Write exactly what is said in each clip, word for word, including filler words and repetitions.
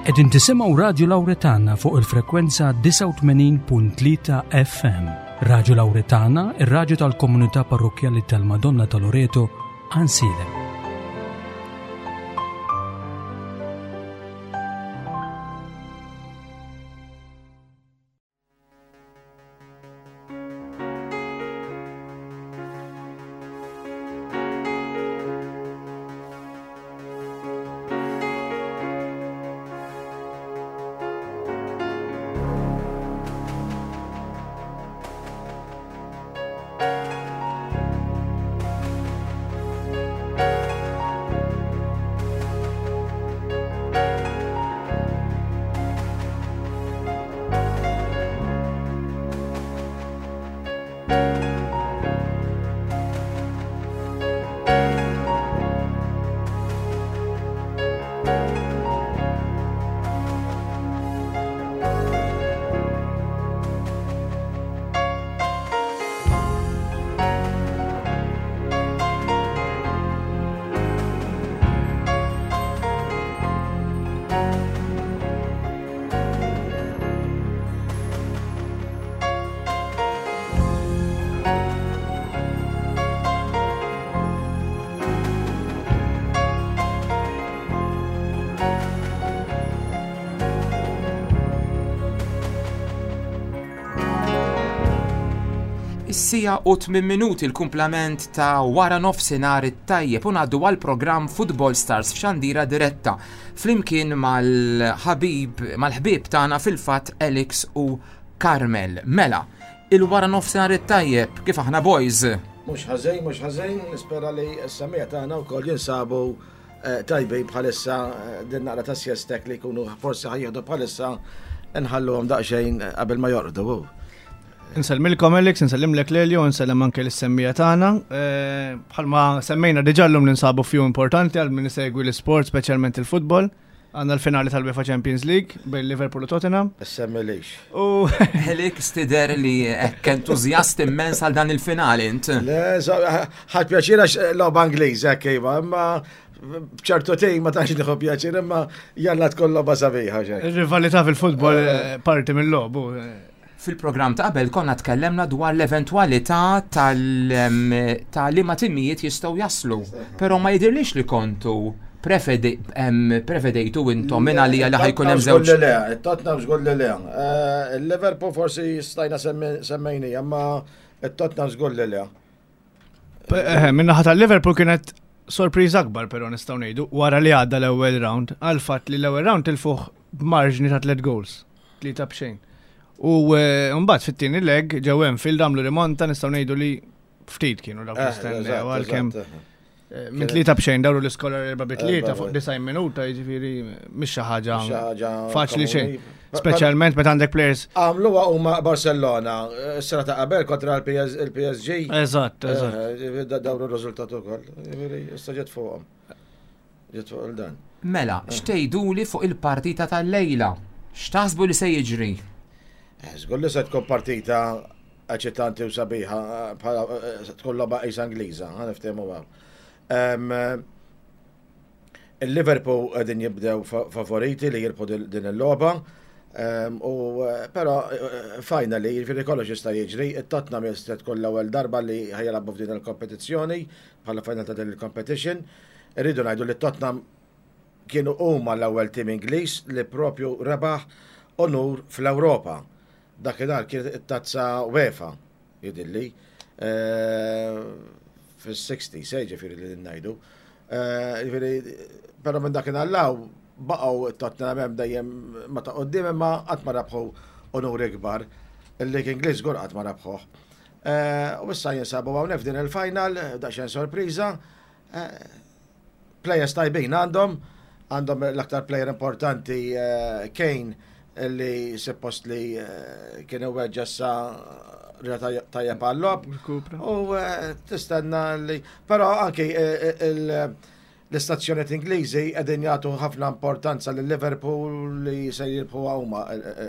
Qegħdin tisimgħu Radio Lauretana fuq il-frekwenza disgħa u tmenin punt tlieta F M. Radio Lauretana, ir-raġu tal-komunità parrokjali tal-Madonna ta' Loreto, Għajnsielem. Is-siegħa u tmien minuti, l-kumplament ta' wara nofsinhar it-tajjeb, u ngħaddu għal programm Football Stars f'xandira diretta flimkien mal-ħabib mal-ħbieb tagħna fil-fatt, Alex u Carmel. Mela, il-wara nofsinhar it-tajjeb, kif aħna, boys? Mhux ħażin, mhux ħażin, nispera li s-semmiegħa tagħna wkoll jinsabu eh, tajbin bħalissa eh, din naqra ta' siesta li jkunu forsi ħa jieħdu bħalissa, nħalluhom daqsxejn qabel ma jorqdu. Nselmilkom Alex, nsellimlek Lelio, nsellem anke lis-semmiegħa tagħna. Eh, Bħalma semmejna diġà, llum ninsabu f'jum importanti għal min isegwi l-isport, speċjalment il-futbol. Għandna l-finali tal-UEFA Champions League bejn Liverpool u Tottenham. Semmilix. U Alex, tidher li hekk entużjast immens għal dan il-finali int. Le, ħadt pjaċir għax logħba Ingliż, hekk iva, imma b'ċertu tim ma tantx nieħu pjaċir, imma jalla tkun logħba sabiħa xejn. Ir-rivalità fil-futbol eh, parti mill-logħob. eh, Fil-programm ta' qabel konna tkellemna dwar l-eventwalità tal ta' liema timijiet jistgħu jaslu. Però ma jidirlix li kontu prefede- em, prevedejtu intom minn għalija li ħa jkun hemm żewġ. Le, Tottenham żgur li le. Eh, Il-Liverpool forsi stajna semmejni, imma il-Tottenham żgur li le. Eh, Min-naħa tal-Liverpool kienet sorpriża akbar, però nistgħu ngħidu wara li għadda l-ewwel round, għal fatt li l-ewwel round tilfuh b'marġni ta' tliet goals, tlieta b'xejn. U eh, mbagħad fit-tieni leg ġew Anfield, għamlu rimonta, nistgħu ngħidu li ftit kienu dawk Eh, li stennew, eżatt, għalkemm eżatt. eh, minn tlieta b'xejn dawru l-iskor erba' bi tlieta Erba' fuq bi- disgħin minuta, jiġifieri mhix xi ħaġa Xi ħaġa faċli xejn. komuni. Speċjalment meta għandek players. Għamluha huma Barcellona, s-sena ta' qabel kontra il-P S G. Eżatt, eżatt. Eh, Dawru r-riżultat ukoll. Jiġifieri, issa ġiet fuqhom. Ġiet fuq il-dan. Mela, x'tgħiduli fuq il-partita tal-lejla? X'taħsbu li se jiġri? Eh, Żgur li se tkun partita eċitanti u sabiħa, bħala eh, se tkun logħba qisha Ingliża, ħa niftehmu hawn. Em, Il-Liverpool qegħdin jibdew fa- favoriti li jirbħu din din il-logħba. Em, U eh, però eh, finally, jiġifieri kollox jista' jiġri, it-Tottenham jista' tkun l-ewwel darba li ħa jilagħbu f'din il-kompetizzjoni bħala final ta' din il-competition. Irridu ngħidu li Tottenham kienu huma l-ewwel tim Ingliż li propju rebaħ onur fl-Ewropa. Dakinhar kienet it-tazza UEFA, jidhirli, eh, fis-sixties, eh, ġifieri li ngħidu. Eh, Ġifieri, però minn dakinhar 'l hawn baqgħu Tottenham hemm dejjem ma ta' quddiem, imma qatt ma rabħu onuri kbar. Il-League Ingliż żgur qatt ma rabħuh. Eh, U issa jinsabu hawnhekk f'din il-final, daqsxejn sorpriża. Eh, Players tajbin għandhom, għandhom l-aktar player importanti eh, Kane, li suppost li eh, kien weġġa', issa reġa' tajjeb għal-logħob. Rkupra. U eh, tistenna li, però anki eh, il- l-istazzjoniet Ingliżi qegħdin jagħtu ħafna importanza lil Liverpool li se jirbħu huma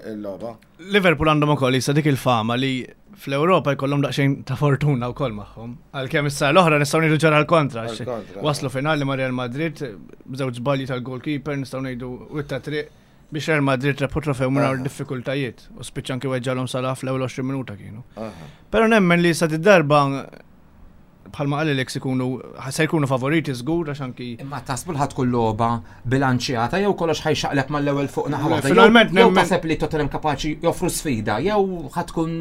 il-logħba. Liverpool għandhom ukoll issa dik il-fama li fl-Ewropa jkollhom daqsxejn ta' fortuna wkoll magħhom. Għalkemm issa l-oħra nistgħu ngħidu ġara l-kontra. għax Għal-kontra. Waslu finali ma' Real Madrid b'żewġ żbalji tal-goalkeeper, nistgħu ngħidu witta triq Biex Real Madrid rebħu trofew mingħajr diffikultajiet u spiċċa anki weġġalhom Salah fl-ewwel għoxrin minuta kienu. Però nemmen li sa darba, bħalma qal Alex, ikunu se jkunu favoriti żgur, għax anki Imma taħsbu ħa tkun logħba bilanċjata jew kollox ħa jxaqleb mal-ewwel fuq naħa waħda? Finalment Jew nemmen- taħseb li Tottenham kapaċi joffru sfida jew ħa tkun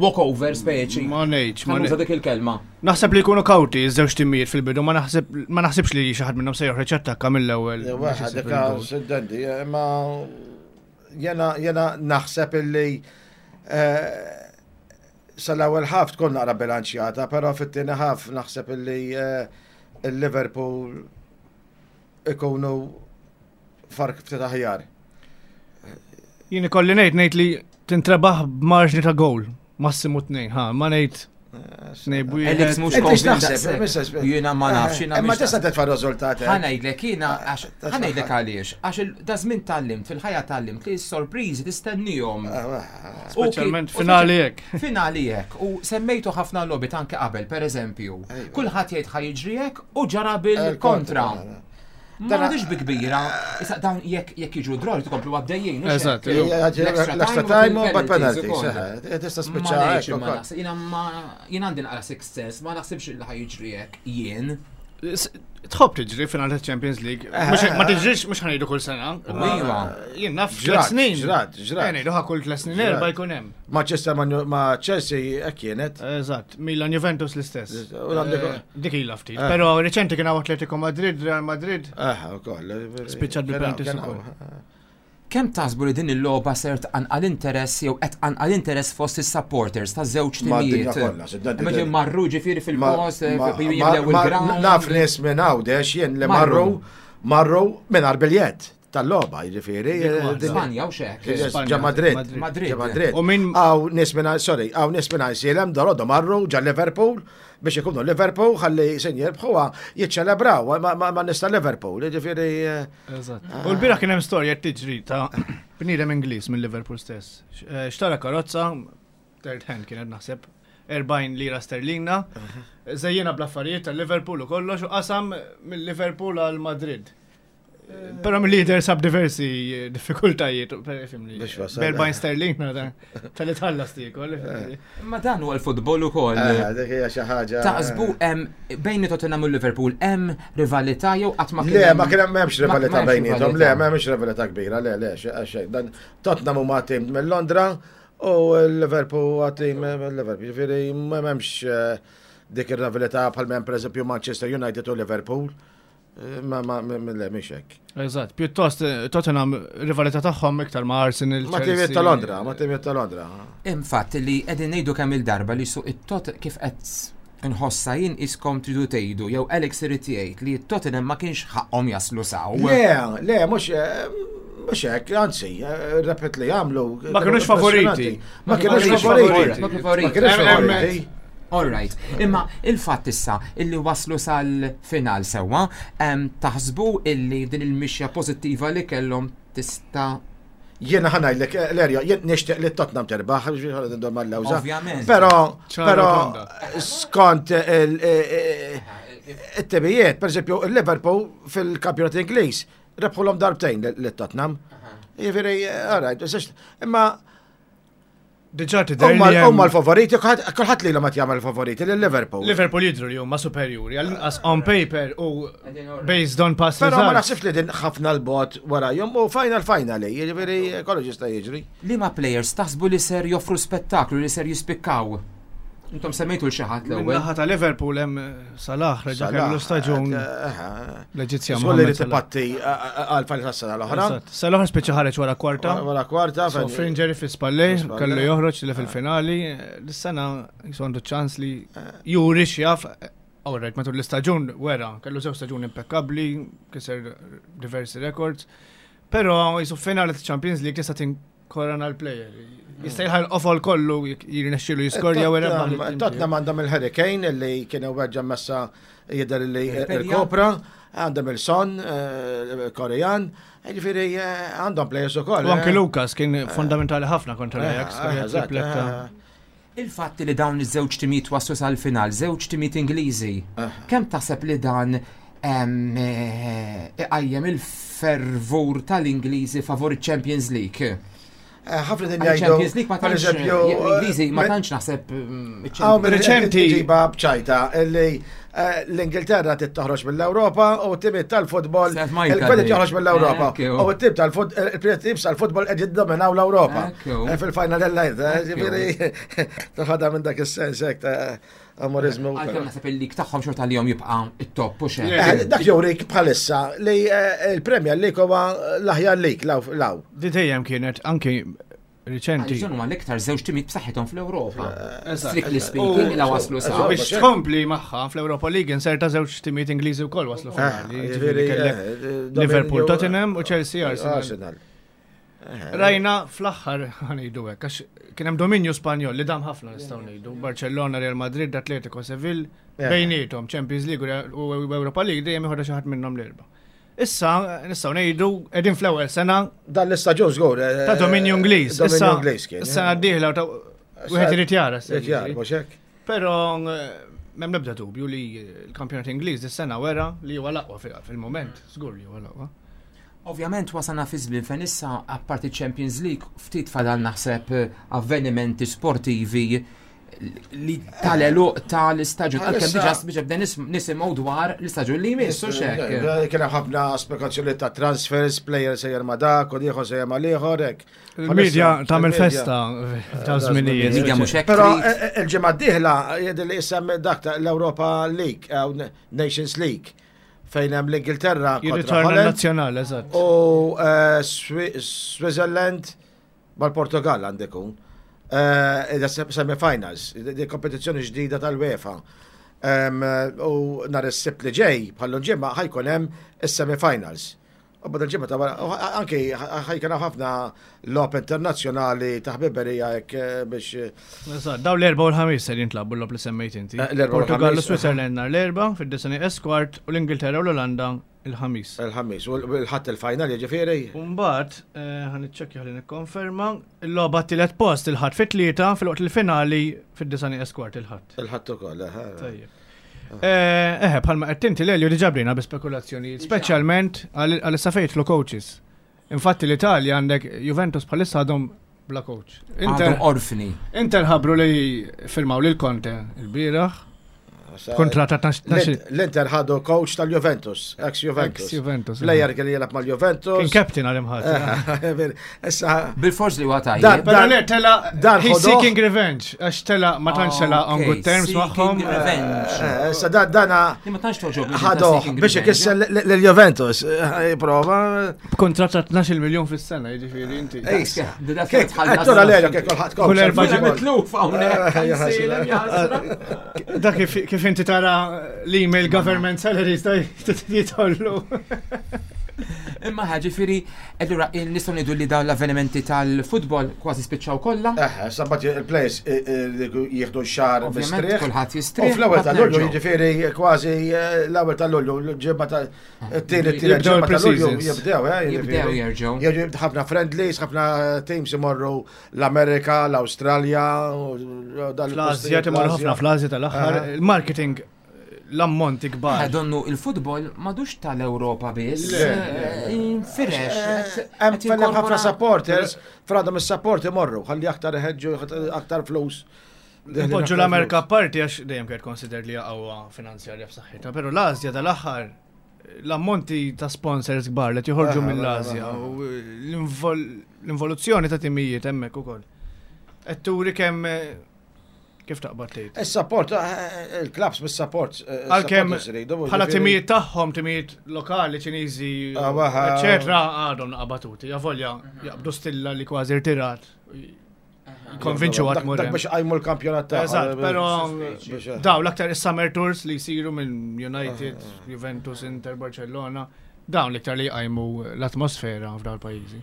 walkover speċi? Ma ngħidx, ma Ħa nuża ngħidx. dik il-kelma. Naħseb li jkunu kawti iż-żewġ timijiet fil-bidu, ma naħseb ma naħsibx li xi ħadd minnhom se joħroġ attakka mill-ewwel biex Waħed isib dik il-goal. Siddendi, imma jena jena naħseb illi eh, sal-ewwel half tkun naqra bilanċjata, però fit-tieni half naħseb illi eh, il-Liverpool ikunu fark ftit aħjar. Jien ikolli ngħid ngħid li tintrebaħ b'marġni ta' goal, massimu tnejn, ha, ma ngħid tnejn b'wieħed. Alex mhux Inti konvint x'taħseb, daqshekk. Missus Jiena ma nafx, jiena Imma mhix tista' titfa' riżultat. Ħa ngħidlek jiena, għax Titfa' ħa ngħidlek għaliex, għax il- da żmien tgħallimt, fil-ħajja tgħallimt li s-sorpriżi tistennihom. U Speċjalment kien- u finali hekk. Finali hekk, u semmejtu ħafna logħbiet anke qabel, per eżempju. Ejwa. Kulħadd jgħid ħa jiġri hekk u ġara bil-kontra. Ma għadix bi kbira, issa dawn jekk jekk jiġu draw tkomplu għaddejjin. hux Eżatt, hekk? L-extra L-extra time u u bad penalties penalties. ukoll. eh, Tista' Ma spiċċa ngħidx hekk imma ukoll. naħseb, jiena ma jien għandi naqra sixth sense, ma naħsibx li ħa jiġri hekk jien. S- Tħobb tiġri finali ta' Champions League. Mhux- Ma tiġrix, mhux ħa ngħidu kull sena. imma Iva. Jien naf Ġrat, tliet snin. ġrat, ġrat. Eh, ngħidu ħa kull tliet snin Ġrat. erba' jkun hemm. Manchester ma ma Chelsea hekk kienet. Eżatt, Milan Juventus l-istess. U għandek- Eh, Dik ilha ftit. Eh. Però reċenti kien hawn Atletico Madrid, Real Madrid. Eh, ukoll. Spiċċat bil-penalties Kien ukoll. hawn. Kemm taħsbu li din il-logħba ser tqanqal interess jew qed tqanqal interess fost is-supporters ta' żewġ Ma' d-dinja timijiet? kollha, sidda- Imma marru ġifieri fil-post, Ma- jimlew ma- ma- il-ground. Naf nies minn Għawdex jien li Marru. marru marru minn biljett tal-logħba, jiġifieri. Dik waħda. din- Spanja u xek. Spanja, Ġa Madrid. Madrid. Ġa Madrid. U min- Hawn nies minn, sorry, hawn nies minn Għajnsielem dalgħodu marru ġa Liverpool biex ikunu Liverpool ħalli sin jirbħuha jiċċelebraw ma- ma ma nista Liverpool, jiġifieri. eh, Eżatt. U l-bieraħ kien hemm storja tiġri ta' bniedem Ingliż minn Liverpool stess. X- eh, Xtara karozza, third hand kienet naħseb, erbgħin lira sterlina, żejjinha bl-affarijiet tal Liverpool u kollox u qasam mill-Liverpool għal Madrid. Però mill-lider sab diversi diffikultajiet, per fimni. Biex wasal. B'erbgħin sterlina tal-li tħallas tiekol. Ma dan huwa l-futbol ukoll. eh, Dik hija xi ħaġa. Taħsbu hemm bejn Tottenham u Liverpool hemm rivalità jew qatt ma kien Le, hemm- ma kien hemm m'hemmx ma- rivalità ma hemmx bejniethom, le, rivalità. m'hemmx rivalità kbira, le, le, xejn. Dan Tottenham huma tim minn Londra u l-Liverpool huwa tim minn Liverpool. Ġifieri m'hemmx eh, dik ir-rivalità bħal m'hemm pereżempju Manchester United u Liverpool. Eh, Ma ma ma- le, mhix hekk. Eżatt, pjuttost eh, Tottenham rivalità tagħhom iktar ma' Arsenal. Ma timijiet Chelsea. ta' Londra, ma timijiet ta' Londra. Infatti li qegħdin ngħidu kemm il-darba li suq it-Tot kif qed nħossa jien iskom tridu tgħidu jew Alex irid jgħid li t-Tottenham ma kienx ħaqhom jaslu s'hawn. Le, le, mhux eh, mhux hekk, anzi, eh, repet li għamlu. Ma kinux favoriti. Ma kinux kinux favoriti. Ma kinux favoriti. Ma kinux Em- em- favoriti. All right. Imma il-fatt issa illi waslu sal-final sewwa, em, taħsbu illi din il-mixja pożittiva li kellhom tista' Jiena ħa ngħidlek, eh, Lerja, jien nixtieq li Tottenham terbaħ, ġifieri ndur mal-lewża. Ovvjament. Però, ċara però tonda. skont il- it-timijiet, per eżempju, il-Liverpool fil-kampjonat Ingliż, rebħulhom darbtejn lit-Tottenham. Jiġifieri, all right, imma Diġà tidher huma li hemm- huma l-favoriti, kulħadd kulħadd li ma jagħmel favoriti lil Liverpool. Liverpool jidhru li huma superjuri, għall-inqas on paper u based on past Però ma results. naħsibx li din ħafna l-bot warajhom u final finally, jiġifieri kollox jista' jiġri. Liema players taħsbu li ser joffru spettaklu, li ser jispikkaw? Intom semmejtu l xi ħadd l-ewwel. Min-naħa ta' Liverpool hemm Salah reġa' kellu staġun l-Eġizzjan. Żgur li Mohamed Salah. tipatti għal final tas-sena l-oħra. Eżatt. Salah spiċċa ħareġ wara kwarta. Wara kwarta, So fejn- injury fi spallej, Fi spallej. kellu joħroġ li fil-finali. L-sena jisu għandu ċans li juri x'jaf. Alright, matul l-istaġun wera, kellu żewġ staġun impeccabli, kiser diversi records. Però jisu finali ta' Champions League tista' tinkorana l-player. Jista' jilħaq l-qofol kollu jirnexxielu jiskorja u jrebaħ lit-tim Tottenham għandhom il-Harry Kane li kien weġġa messa jidher li Il-Peria. il-Kopra, għandhom il-Son eh, Korean, ġifieri eh, għandhom players ukoll. U anke eh. Lucas kien fondamentali ħafna kontra Eh, l-Ajax, eh, kellu eżatt, tripletta. eh, Il-fatt li dawn iż-żewġ timijiet waslu sal-final, żewġ timijiet Ingliżi, Eh. kemm taħseb li dan em, eh, iqajjem il-fervur tal-Ingliżi favur il-Champions League. Eh, ħafna din jgħidu. Champions League ma per tantx eżempju, l-Ingliżi ma eh, tantx naħseb mm, Għaw il-Champions minn Reċenti- ġiba bċajta illi eh, l-Ingilterra tittoħroġ mill-Ewropa u t-timiet tal-futbol Sef Majka il-kwedi dik. joħroġ mill-Ewropa Ekku. u t-tim tal-futbol il-tim tal-futbol qed jiddominaw l-Ewropa Ekku. Eh, fil-final l-lajt, Ekku. ġifieri taħadha minn dak is-sens hekk ta' amorizmu. Għalkemm naħseb il-lig tagħhom xorta li jom jibqa' it-top u xejn. Eh, Dak jurik bħalissa li eh, il-Premier League huwa l-aħjar league law law. Di dejjem kienet anki riċenti. Għaliex huma l-iktar żewġ timijiet b'saħħithom fl-Ewropa. Eżatt. Strictly speaking, la waslu sa. U biex tkompli magħha fl-Europa League inserta żewġ timijiet Ingliżi wkoll waslu finali. Eh, Ġifieri ġifieri, kellek eh, Liverpool, dominju- Tottenham u Chelsea Arsenal. Arsenal. Rajna fl-aħħar ħanejdu hekk għax kien hemm dominju Spanjol li dam ħafna nistgħu ngħidu. Barcellona, Real Madrid, Atletico, Seville, Eh. bejniethom Champions League u Europa League dejjem ieħodha xi ħadd minnhom l-erba'. Issa nistgħu ngħidu qegħdin fl-ewwel sena Dan l-istaġun żgur. eh, ta' dominju Ingliż. Dominju Issa Ingliż kien. Is-sena d-dieħla ta' wieħed irid jara. se Irid jara, jiġri. mhux hekk? Però eh, m'hemm l-ebda dubju li l-kampjonat Ingliż dis-sena wera li huwa l-aqwa fil- fil-moment, żgur li huwa l-aqwa. Ovvjament wasalna fi żmien fejn issa apparti Champions League ftit fadal naħseb eh, avvenimenti sportivi li tal-eluq tal-istaġun. Għalkemm diġà biex bda nisimgħu dwar l-istaġun li jmiss u xek. Eh, Kien hemm ħafna spekulazzjoni ta' transfers, player sejjer ma' dak, u ieħor sejjer ma' l-ieħor hekk. Il-medja tagħmel Il-medja. festa ta' żminijiet. Il-medja mhux hekk Però trid. eh, eh, il-ġimgħa d-dieħla jidher li isem dak ta' l-Europa League, eh, Nations League, fejn hemm l-Ingilterra kontra Jirritorna Holland nazzjonali, eżatt. u eh, Swi- Switzerland mal-Portugal għandekun. Semi-finals, di kompetizzjoni ġdida tal-UEFA. Em, U nhar is-Sibt li ġej, bħallu ġimgħa ħa jkun hemm is-semi-finals. U bada l-ġimgħa ta' wara, u anki ħa jkun hemm ħafna logħob internazzjonali ta' ħbiberija hekk eh, biex eh, Eżatt, daw l-erba u l-ħamis ser jintlabbu l-logħob li semmejt inti. Eh, l-erba u Portugal u l-ħamis, Switzerland nhar l-erba fid-disgħa nieqes kwart u l-Ingilterra u l-Olanda il-ħamis. il-ħamis u l-ħadd il-final jiġifieri. U mbagħad eh, ħa niċċekkja ħalli nikkonferma, il-logħba t-tielet post il-ħadd fit-tlieta fil-waqt il-finali fid-disgħa nieqes kwart il-ħadd. Il-ħadd ukoll. eh. Tajjeb. Eh, eh, bħalma qed inti Lelju diġà bdejna bi spekulazzjonijiet, speċjalment għal issa fejn jidħlu coaches. Infatti l-Italja għandek Juventus bħalissa għadhom bla coach. Inter, Għadhom orfni. Inter ħabru li firmaw lil Conte il-bieraħ, Sa- kontrat ta' tnax L-Inter ħadu coach tal-Juventus, ex-Juventus. ex-Juventus. Player kelli jilgħab mal-Juventus. Kien captain għal imħat. Issa, Bil-fors li huwa Dan- tajjeb. Pero le, tela, dan he's ħodoh. seeking revenge, għax tela ma tantx tela on good terms Seeking magħhom. revenge. eh, issa dan dana Li ma tantx toġobni ta' ħadu seeking biex revenge. ikisser l-Juventus. Eh, Prova. B'kontrat ta' tnax-il miljon fis-sena, jiġifieri inti. Issa. Da Kek, tħallas- għattura lejla kek kulħadd Kull erba' Ġa ġimgħat. mitluf hawnhekk. Eh, ja, Nsejlem, ja, ħasra. Da kif kif inti tara l-email government salaries da jitollu. Imma ġifieri, allura nistgħu ngħidu li dawn l-avvenimenti tal-futbol kważi spiċċaw kollha. Eh, sabbat il-players jieħdu xahar Ovvjament mistrieħ. kulħadd U jistrieħ. fl-ewwel ta' mbagħad Lulju nerġgħu. jiġifieri kważi eh, l-ewwel ta' Lulju, l-ġimgħa ta' t-tieni t-tieni Jibdew ġimgħa ta' Lulju il-pre-seasons. jibdew, eh, Jibdew jiġifieri. jerġgħu. Jiġu ħafna friendlies, ħafna teams imorru l-Amerika, l-Awstralja, u dan Fl-Azja il-postijiet, timorru ħafna fl-Azja tal-aħħar. Aha. Il-marketing l-ammonti kbar. Donnu il-futbol madux tal-Ewropa biss. Le, eh, Infirex. Eh, Hemm qed fejn hemm ħafna jinkorpora- supporters, fradhom is-support imorru, ħalli aktar iħeġġu aktar flus. Poġġu l-Amerika parti għax dejjem kienet considered li qawwa finanzjarja b'saħħitha, però l-Asja tal-aħħar l-ammonti ta' sponsors kbar li joħorġu Aha, mill-Asja aha. u l-invol- l-involuzzjoni ta' timijiet hemmhekk ukoll. Qed turi kemm eh, kif taqbad tgħid. Is-support, eh, il-clubs bis-support. eh, Għalkemm supporters iridu, bħala jiġifieri- timijiet tagħhom, timijiet lokali, Ċiniżi, Ah, waħa. eċetera, għadhom naqabatuti. Avolja jaqbdu stilla li kważi rtirat. Konvinċu għat Dak- Dak biex għajmu l-kampjonat ta' Eżatt, pero biex- daw l-aktar is-summer tours li jsiru minn United, Juventus, Inter, Barcellona, dawn l-iktar li jqajmu l-atmosfera f'dawn il-pajjiżi.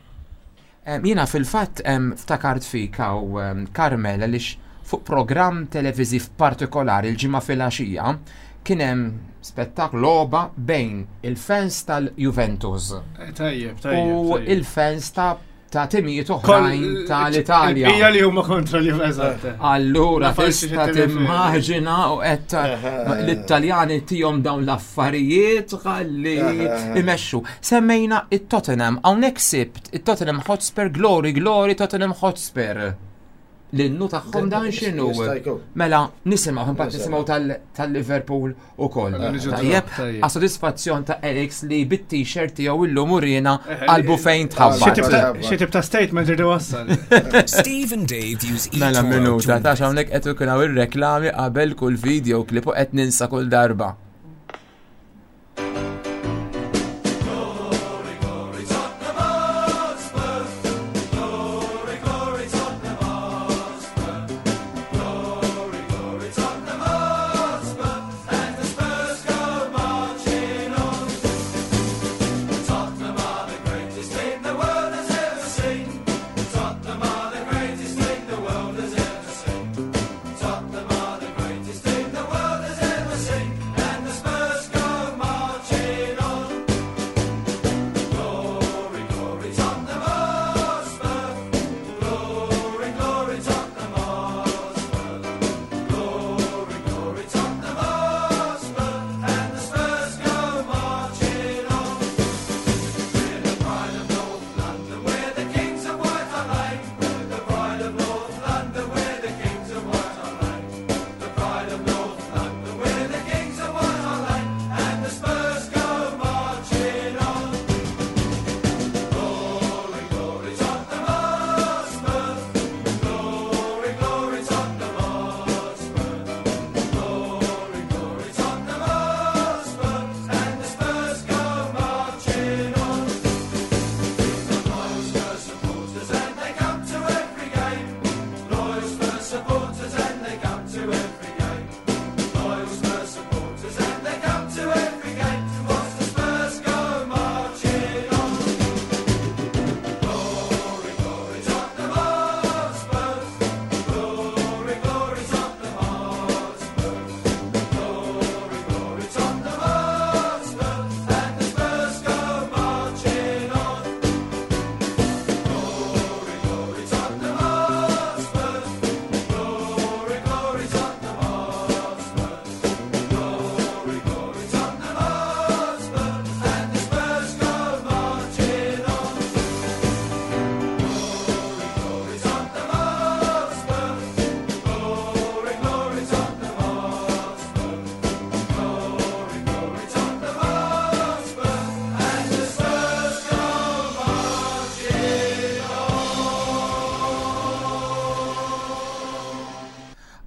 Em, Jiena fil-fatt em, ftakart fik hawn Carmel għaliex fuq programm televiżiv partikolari l-ġimgħa filgħaxija kien hemm spettaklu logħba bejn il-fans tal-Juventus Tajjeb, u il-fans ta' ta' timijiet oħrajn tal-Italja. Hija li huma kontra li eżatt. Allura Ma farsi tista' xi telefon. timmaġina u qed l-Italjani tihom dawn l-affarijiet ħalli imexxu. Semmejna it-Tottenham, hawnhekk sibt it-Tottenham Hotspur Glory Glory Tottenham Hotspur. L-innu tagħhom dan x'inhu? Jista' jkun. Mela, nisimgħu, imbagħad nisimgħu tal- tal-Liverpool ukoll. Mela, niġu Tajjeb, tajjeb. għas sodisfazzjon ta' Alex li bit-t-shirt tiegħu illum urina Eh, qalbu fejn Xi tħabbat. tip ta' xi tip ta' statement irdu wassal. Steve and Dave use Mela eToro to minuta, ta' invest. hawnhekk qed ikun hawn ir-reklami qabel kull video clip u qed ninsa kull darba.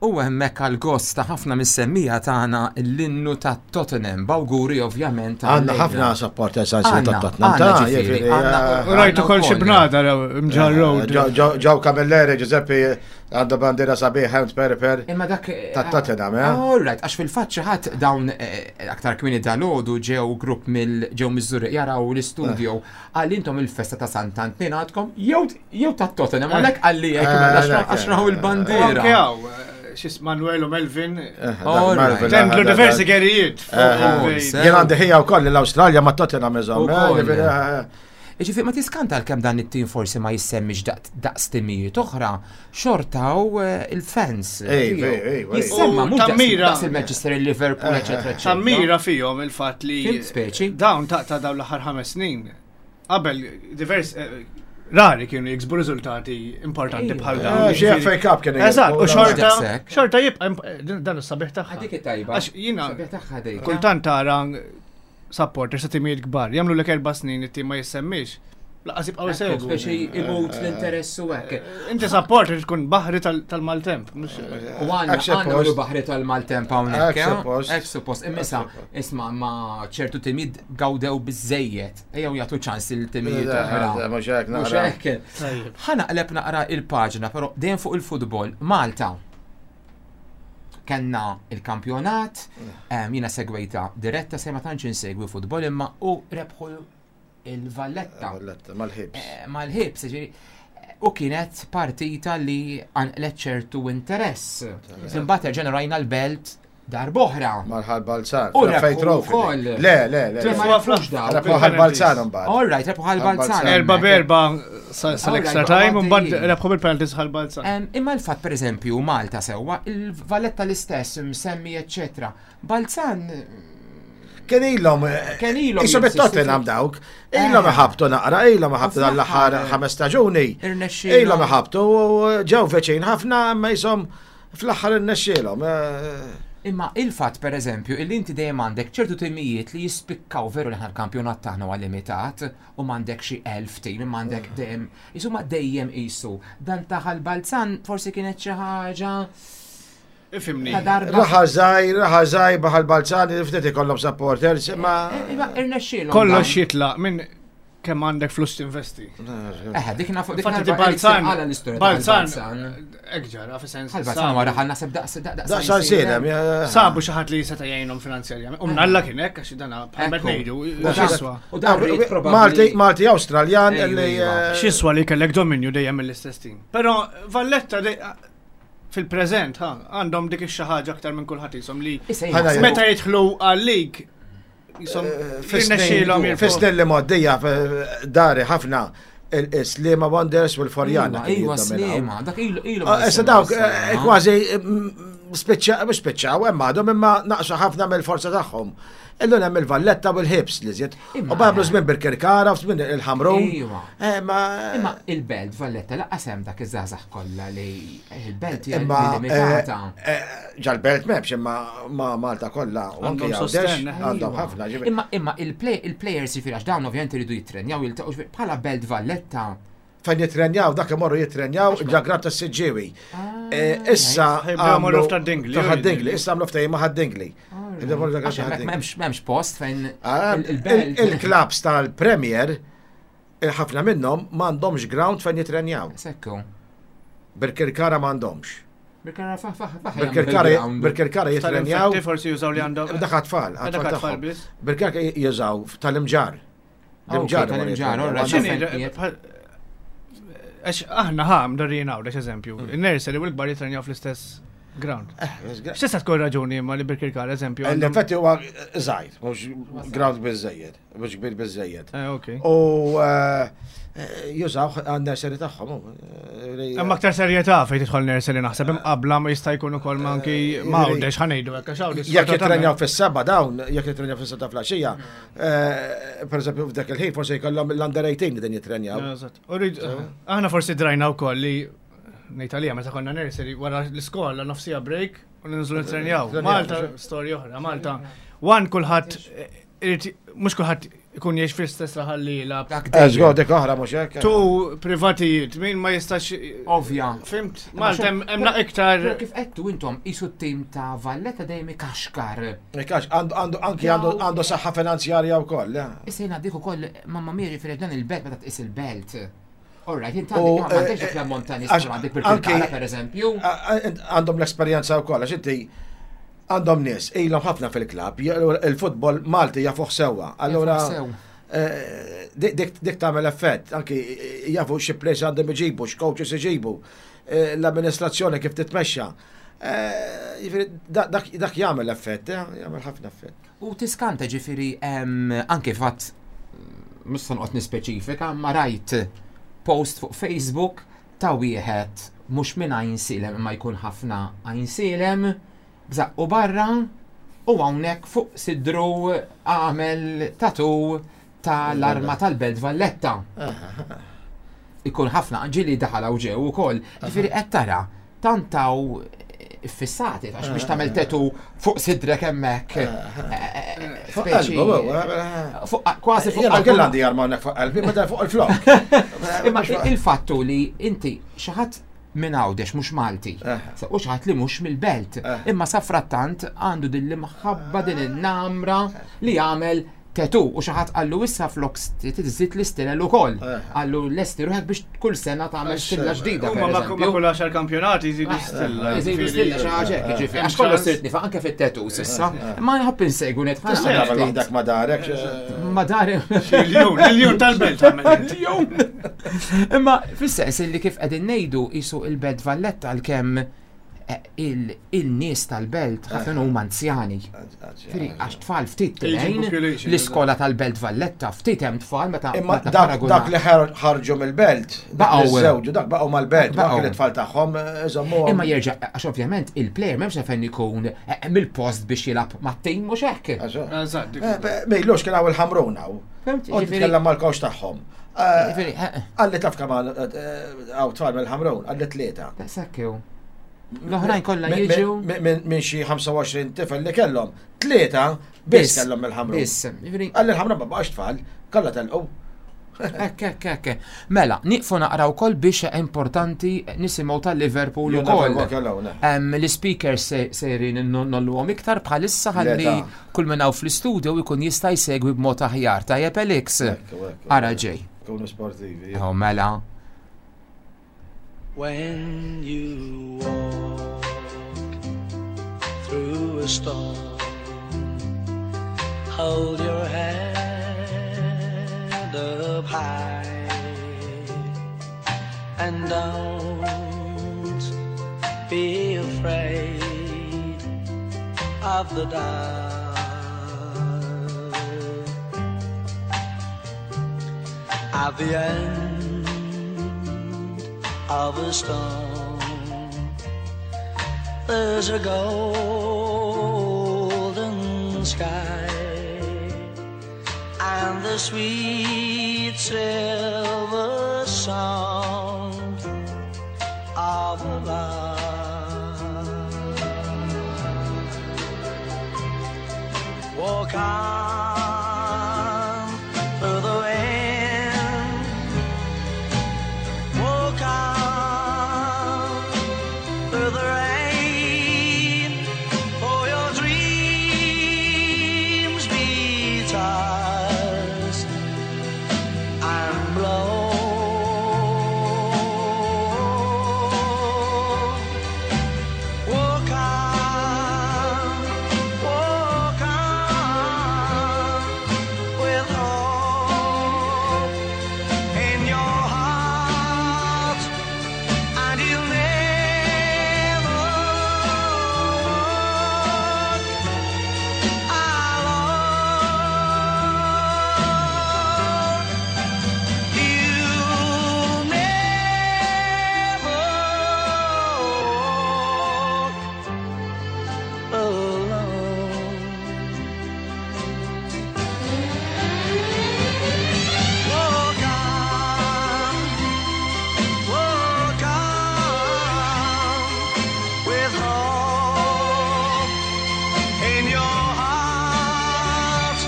U hemmhekk għal gost ta' ħafna mis-semmija tagħna l-innu ta' Tottenham, b'awguri ovvjament. Għandna ħafna supporters għal Għandna, ta' Tottenham. għandna ta' ġifieri, jiġifieri, għandna- eh, U rajtu kol xi wkoll. bnadar mġar road. Ġew- Ġew Ġew Camilleri, Giuseppe, għandu bandiera sabiħ, Helms Perper. Imma dak. Ta' Tottenham, eh? All right, għax fil-fatt xi ħadd dawn eh, aktar kmieni dal-għodu ġew grupp mill ġew miż-Żurrieq jaraw l-istudio għal intom il-festa ta' Sant'Antnin għadkom jew jew ta' Tottenham għalhekk għalli hekk Eh, mela għalhekk, għax raw eh, il-bandiera. Anke hawn, xis Manuel u Melvin. All right. Tendlu diversi gerijiet. Oh, se- Jien għandi ħija wkoll l-Awstralja ma' Tottenham iżomm. eh, Ukoll. jiġifieri, eh, Ġifieri ma tiskanta l-kem dan it-tim forsi ma jissemmix daqs daqs timijiet oħra, xortaw eh, il-fans. Ej, tiegħu. ej, ej, ej. Jissemma U mhux daqs tammira. daqs il-Manchester, il-Liverpool, eċetera, eċetera. Tammira fihom il-fatt li Fim speċi. dawn ta' ta' dawn l-aħħar ħames snin qabel divers eh, rari kienu jiksbu riżultati importanti bħal dawn. Eh, xi F A Cup kienu Eżatt, u jirbħu, xorta Daqshekk. xorta jibqa' imp- eh, dan is-sabiħ tagħha. Dik it-tajba. Għax jiena Sabiħ tagħha dik. kultant tara supporters ta' timijiet kbar, jagħmlu lek erba' snin it-tim ma jissemmix. Laqas jibqgħu Ekku, jsegwu. Speċi imut l-interess u hekk. Inti supporter tkun baħri tal- tal-maltemp, mhux U għanna Hekk għanna suppost. u baħri tal-maltemp hawnhekk. Hekk eh? suppost. Hekk suppost. Immisa, isma' ma ċertu timijiet gawdew biżejjed. Ejjew jagħtu ċans il-timijiet Eh, oħra. Mhux hekk Mhux naqra. hekk. Ħa naqleb naqra il-paġna, però dejjem fuq il-futbol. Malta. Kenna il-kampjonat, em, jiena segwejta diretta se ma tantx insegwi futbol imma u rebħu il-Valletta. Valletta, mal-ħibs. Eh, Mal-ħibs, ġifieri, u kienet partita li għanqlet ċertu interess. Imbagħad ġenerajna l-belt Darb'oħra. Mal-Ħal Balzan. U F A rebħu Trophy. wkoll. Le, le, le. Ma le. rebħux dawk. Rebħu Ħal Balzan imbagħad. All right, rebħu Ħal Balzan. Erba hemmhekk. berba sal-extra Alright, time, u mbagħad għaddejjin. rebħu bil-penalties Ħal Balzan. Em, Imma l-fatt per eżempju Malta sewwa, il-Valletta l-istess, msemmi eccetera. Balzan Kien ilhom eh, Kien ilhom Isom jinsistu it-Tottenham dawk. Ilhom Eh. iħabtu naqra, ilhom iħabtu U dan l-aħħar fl-aħħar, ħames staġuni. irnexxielhom. Ilhom iħabtu u ġew veċin ħafna, imma jisom fl-aħħar irnexxielhom. eh. Imma il-fatt per eżempju illi inti dejjem għandek ċertu timijiet li jispikkaw veru li aħna l-kampjonat tagħna huwa limitat u m'għandek xi elf tim, imma għandek dejjem isuma dejjem qisu. Dan ta' Ħal Balzan forsi kienet xi ħaġa Ifimni. ta' darba. Raħa żgħir, raħa żgħir baħal Balzan, ftit ikollhom supporters, imma Imma irnexxielhom. Kollox dan. jitlaq minn kemm għandek flus tinvesti. Eh, dik nafu dik Infatti narba Balzan, għala l-istorja ta' Balzan, Balzan. hekk ġara, fis-sens. Ħal Balzan wara ħal naħseb daqs daqs Daqs silem, ja. Sabu xi ħadd li seta' jgħinhom finanzjarjament. U mnalla kien hekk għax dana bħal Ekku. ngħidu, U dan- x'iswa. U dan rrid probabbli- Malti, Malti Awstraljan Ejju, li iva. eh, X'iswa li kellek dominju dejjem mill-istess team. Però Valletta dej- fil-preżent ha, għandhom dik ix-xi ħaġa aktar minn kulħadd jisom li Issa Ħana jien meta jidħlu għal-lig jisom jirnexxielhom jirfgħu. Fis-snin li mgħoddija f- dari ħafna il-Sliema Wonders u l-Forjana. kienu Iwa, jiddominaw. Sliema, dak ilu ilu. Ah, Issa dawk eh, kważi mm, spiċċa, mhux spiċċaw, hemm għadhom imma naqsu ħafna mill-forza tagħhom. Illum hemm il-Valletta u l-Ħibs li żied. Imma- U bablu żmien Birkirkara, żmien il-Ħamrun. Iwa. Eh, Ma Imma il-belt Valletta laqqas hemm dak iż-żgħażagħ kollha li il-belt hija imma limitata. eh, eh, ġal-belt m'hemmx imma ma Malta kollha u anke Għandhom Għawdex sostenn, eh. għandhom Iva. ħafna ġifieri. Imma imma il-play- il-players jiġifieri għax dawn ovvjament iridu jittrenjaw jiltaqgħu ġifieri bħala Belt Valletta. Fejn jitrenjaw, dak imorru jitrenjaw ġa-grad tas-Siġġiewi. Eh, Issa Ħajbdew imorru għamlu- f'Ta' Dingli, ta' u Ħad-Dingli, issa għamlu ftehim ma' Ħad-Dingli. Jibdew imorru ġa-grad Għax ta' hemmhekk Ħad-Dingli. m'hemmx m'hemmx post fejn Ah, il- il-belt. il- Il-klabs tal-Premier, il-ħafna minnhom m'għandhomx ground fejn jitrenjaw. Sekku. Birkirkara m'għandhomx. Birkirkara fa fa fa Birkirkara Birkirkara jitrenjaw. Tal-infetti forsi jużaw li għandhom. Dak għat-tfal, Dak għat-tfal għat-tfal tagħhom. biss. Birkirkara jużaw tal-imġar. Ah, ok, L-imġar tal-imġar, imorru all right. jitrenjaw. X'inhi, fejn qiegħed? bħal- Għax aħna ħa mdarrin hawn, eżempju, il-nursery u l-kbar jitrenjaw fl-istess ground. X'tista' tkun raġuni imma li Birkirkara eżempju għandhom- L-infetti huwa żgħir, mhux ground biżejjed, mhux kbir biżejjed. Eh, ok. U eh, jużaw għan-nursery tagħhom. eh, li- Hemm aktar serjetà fejn tidħol nursery naħseb imqabbla ma jista' jkun ukoll ma anki ma għawdex ħanejdu hekk għax għawdex. Jekk jitrenjaw fis-seba dawn, jekk jitrenjaw fis-seba flaxija, per eżempju f'dak il-ħin forsi jkollhom l-under eighteen li din jitrenjaw. Eżatt. U rrid- Aħna forsi drajna wkoll li ngħid għalija meta konna nursery wara l-iskola nofsija break u ninżlu nitrenjaw. Nitrenjaw, Malta mhux- storja oħra, Malta. One kulħadd eh, irid mhux kulħadd ikun jgħix fl-istess raħal li jilgħab. Dak Eżgo dejjem. dik oħra mhux hekk. Tu privatijiet, min ma jistax. Ovvja. Fimt, Malta hemm hemm iktar. Però kif qedtu intom qisu t-tim ta' Valletta dejjem ikaxkar. Ikax, għandu għandu anki għandu għandu saħħa finanzjarja wkoll. eh. Issa jiena dik ukoll mamma mia ġifieri dan il-belt meta tqis il-belt. All right, inti U, għandek ma m'għandekx eh, dak l-ammont ta' nies għax bħal għandek anki- Birkirkara pereżempju. A- a- Għandhom l-esperjenza wkoll għax inti għandhom nies ilhom ħafna fil-klabb, il-futbol Malti jafuh sewwa. Allura Jafuh sew. eh, dik dik- dik tagħmel effett, anki jafu xi players għandhom iġibu, x'coaches iġibu, eh, l-amministrazzjoni kif titmexxa. Eh, Jiġifieri da- dak dak jagħmel effett, eh, jagħmel ħafna effett. U tiskanta ġifieri em, anke fatt mhux se noqgħod nispeċifika, ma rajt post fuq Facebook ta' wieħed mhux minn Għajnsielem imma jkun ħafna Għajnsielem, bżaqqu barra u hawnhekk fuq sidru għamel tatu tal-arma tal-Belt Valletta. Ikun ħafna ġili daħal hawn ġew ukoll. Ġifieri qed tara tantaw fissati għax biex tagħmel tetu fuq sidrek hemmhekk. Fuq Speċi- qalbu, eh, Fuq kważi fuq Jena qalbu. kell għandi arma hawnhekk fuq qalbi, meta fuq il-flok. Imma il-fattu li inti xi ħadd minn Għawdex mhux Malti. Eh. U xi ħadd li mhux mill-belt. Eh. Imma safrattant għandu din l-imħabba din in-namra li jagħmel tetu u xi ħadd qallu issa flok tiżid l-istilel ukoll. Eh. Qallu lesti ruħek biex kull sena tagħmel stilla ġdida. Huma per ma eżempju. ma kull għaxar kampjonati jżidu stilla. Jżidu stilla xi ħaġa hekk, jiġifieri. Għax Hemm kollox ċans. sirt nifa anke fit-tetu s'issa. Ma nħobb insegwu net. Tista' tagħmel waħdak ma darek. eh, Ma dari. Il-jun, il-jun tal-belt għamel. Jum. Imma fis-sens li kif qegħdin ngħidu qisu il-Belt Valletta għalkemm Il-nies tal-belt ħafna huma anzjani. Għax tfal ftit tilgħin l-iskola tal-Belt Valletta ftit hemm tfal meta Imma dak li ħarġu mill-belt, baqgħu żewġu, dak baqgħu mal-belt, dak li tfal tagħhom iżommuhom. Imma jerġa' għax ovvjament il-player m'hemmx fejn ikun mill-post biex jilgħab mat-tim mhux hekk. Mejlux kien hawn il-Ħamrun hawn. U titkellem mal-coach tagħhom. Għalli taf kemm hawn tfal mill-Ħamrun, għalli tlieta. Daqshekk hu. L-oħrajn kollha jiġu minn xi ħamsa u għoxrin tifel li kellhom, tlieta biss kellhom mill-Ħamrun. Biss, jiġifieri Għalli l-Ħamrun ma baqax tfal, kollha telqu. Ekk, ekk, ekk. Mela, nieqfu naqra wkoll biex importanti nisimgħu tal-Liverpool ukoll. L-speakers sejrin nolluhom iktar bħalissa ħalli kull minn hawn fl-istudio jkun jista' jsegwi b'mod aħjar. Tajjeb Alex. Ara ġej. Kunu sportivi. Oh, mela. When you walk through a storm, hold your head up high and don't be afraid of the dark. At the end of a storm, there's a golden sky and the sweet silver sound of a lark. Walk on through the wind, walk on through the rain, for your dreams be tossed and blow. Walk on, walk on with hope in your heart, and you'll never walk alone. You'll never walk alone. Walk on, walk on with hope in your heart,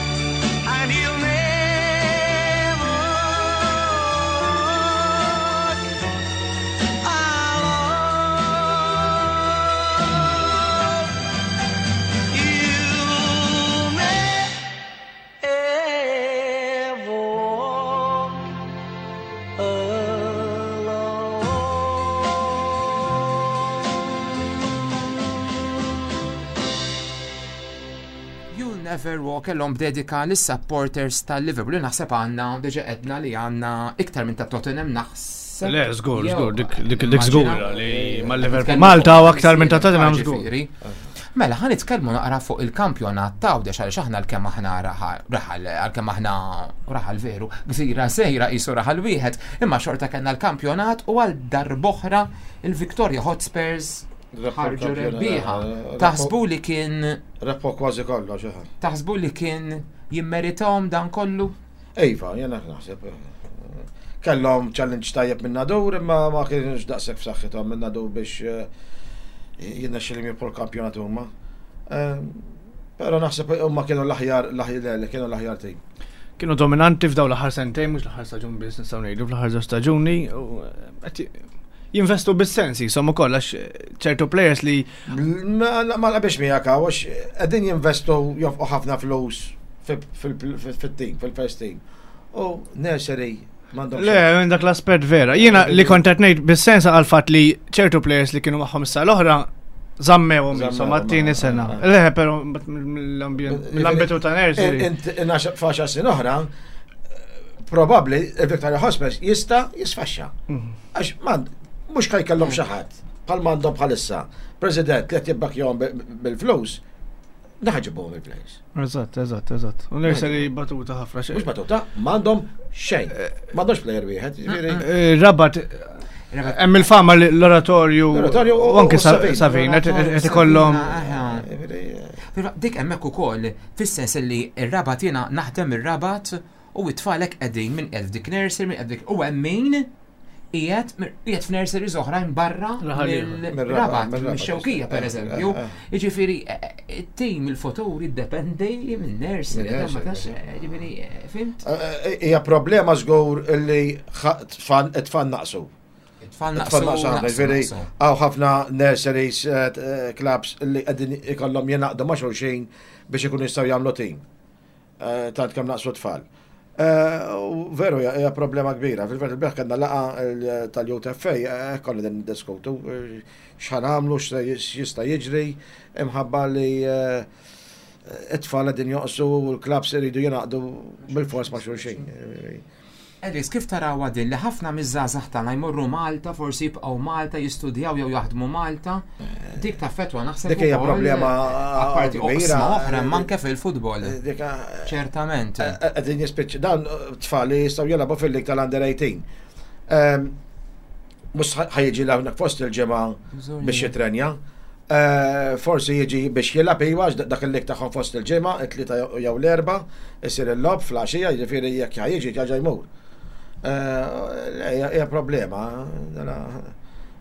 and you'll never walk alone. You'll never walk alone. You'll Never Walk Alone b'dedika lis-supporters tal-Liverpool. Naħseb għandna, diġa għedna li għandna iktar minn ta' Tottenham naħseb. Le, żgur, Jew, żgur, dik dik dik immaġina. żgura li mal-Liverpool. Nitkellmu Malta fuq u aktar minn ta' Tottenham żgur. Ġifieri. Mela, ħa nitkellmu naqra fuq il-kampjonat ta' Għawdex għaliex aħna għalkemm aħna raħal, raħal, għalkemm aħna raħal veru, gżira sejra qisu raħal wieħed, imma xorta kellna l-kampjonat u għal darb'oħra il-Victoria Hotspurs Rebħu ħarġu l-kampjonat. rebbieħa. Rebħu- Taħsbu li kien Rebħu kważi kollox, eħe. taħsbu li kien jimmeritahom dan kollu? Iva, jena naħseb. Kellhom challenge tajjeb minn Nadur, imma ma kienx daqshekk f'saħħithom minn Nadur biex eh, jirnexxilhom jirbħu l-kampjonat huma. Eh, Però naħseb huma kienu l-aħjar, l-aħjar, li kienu l-aħjar team. Kienu dominanti f'daw l-aħħar sentejn, mhux l-aħħar staġun biss nistgħu ngħidu, fl-aħħar żewġ staġuni u qed jinvestu bis-sens jisom ukoll għax ċertu players li Ma ma naqbilx miegħek hawn, għax qegħdin jinvestu jonfqu ħafna flus fit-team, fil-first team. U nursery m'għandhomx. Le, minn dak l-aspett vera. Jiena li kont qed ngħid bis-sens għal fatt li ċertu players li kienu magħhom issa l-oħra żammewhom Żammewhom, insomma t-tieni eh, sena. eh. Le, però mill-ambjent mill-ambitu ta' nursery. Int f'għaxar snin oħra, probabbli il-Victoria Hotspurs jista' jisfaxxa. Mhm. Għax man, mhux ħa jkellhom xi ħadd. bħal m'għandhom bħalissa, president li qed jibbakkjahom bil-flus, naħġibuhom il-players. Eżatt, eżatt, eżatt. U nursery batuta ħafna xejn. Mhux batuta, m'għandhom xejn. M'għandhomx player wieħed, jiġifieri. Eh, Rabat, hemm il-fama li l-oratorju L-oratorju u- u anke u Savin. Savin qed ikollhom Aha. jiġifieri, eh, Però dik hemmhekk ukoll, fis-sens li ir-Rabat jiena naħdem ir-Rabat u it-tfalek qegħdin minn qed f'dik nursery, minn qed f'dik u hemm min qiegħed qiegħed f'nurseries oħrajn barra Raħal ieħor. mill-Rabat, Mir-Rabat, mix-Xewkija per eżempju. Eh, eh. Jiġifieri eh, it-tim il-futur jiddependi minn nursery, Minn ma nursery, tax, eh, jiġifieri eh, fimt? eh, Hija problema żgur li ħa- tfal it-tfal naqsu. It-tfal It-tfal naqsu, naqsu ħafna, naqsu, jiġifieri naqsu. hawn ħafna nurseries, eh, eh, clubs li qegħdin ikollhom jingħaqdu ma' xulxin biex ikunu jistgħu jagħmlu tim. Eh, Tant kemm naqsu tfal. Eh, U veru hija hija problema kbira. Fil-fatt il-bieraħ kellna laqgħa eh, tal-Youth F A, eh, konna din niddiskutu eh, x'ħa nagħmlu, x'jista' jiġri, imħabba li eh, it-tfal qegħdin joqsu u l-clubs iridu jingħaqdu bil-fors ma' xulxin. Alex, kif taraw din li ħafna miż-żgħażagħ tagħna jmorru Malta, forsi jibqgħu Malta, jistudjaw jew jaħdmu Malta, dik taffettwa naħseb Dik hija ukoll, problema apparti kbira. oqsma oħra imma anke fil-futbol. Dik Ċertament. Qegħdin jispiċċ dan tfal li jistgħu jilagħbu fil-lig tal-under eighteen. Ehm, Mhux ħa jiġi hawnhekk fost il-ġimgħa biex jitrenja. Eh, Forsi jiġi biex jilgħab iwa għax dak il-lig tagħhom fost il-ġimgħa, it-tlieta jew l-erba, isir il-logħob fl-għaxija, jiġifieri jekk ħa jiġi ġa jmur. Eh, Hija hija problema. Dana-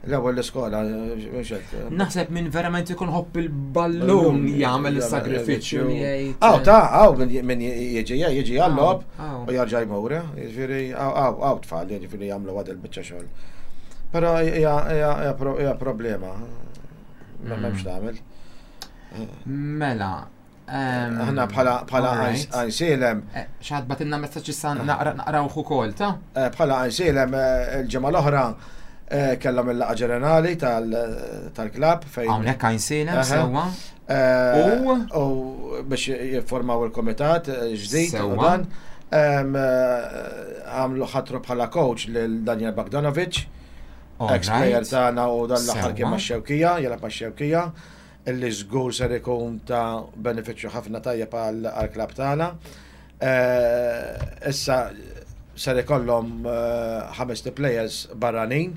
L-ewwel l-iskola, mhux hekk. Naħseb min verament ikun ħobb il-ballun jagħmel is-sagrifiċċju li jgħid. Aw, ta' aw, min min jiġi jiġi għall-logħob Aw. u jarġa' jmur, jiġifieri aw aw aw tfal, jiġifieri jagħmlu għad il-biċċa xogħol. Però hija hija hija pro- hija problema. Ma m'hemmx tagħmel. Mela. ehm, Aħna bħala bħala alright. Għajnsielem, Eh, Xi ħadd bagħtilna messaġġ issa naqra naqrawh ukoll, ta' eh, bħala Għajnsielem eh, il-ġimgħa l-oħra eh, kellhom il-laqgħa ġenerali tal- tal-klabb fejn Hawnhekk Għajnsielem Aha. sewwa. Eh, U? U biex jiffurmaw il-komitat eh, ġdid u Sewwa. dan. Em, eh, Għamlu ħatru bħala coach lil Daniel Bogdanovic, ex-player Alright. tagħna u dan l-aħħar kien Sewwa. max-Xewkija, jilgħab max-Xewkija, illi żgur ser ikun ta' benefiċċju ħafna tajjeb għal għall-klabb tagħna. Eh, Issa ser ikollhom eh, ħames players barranin,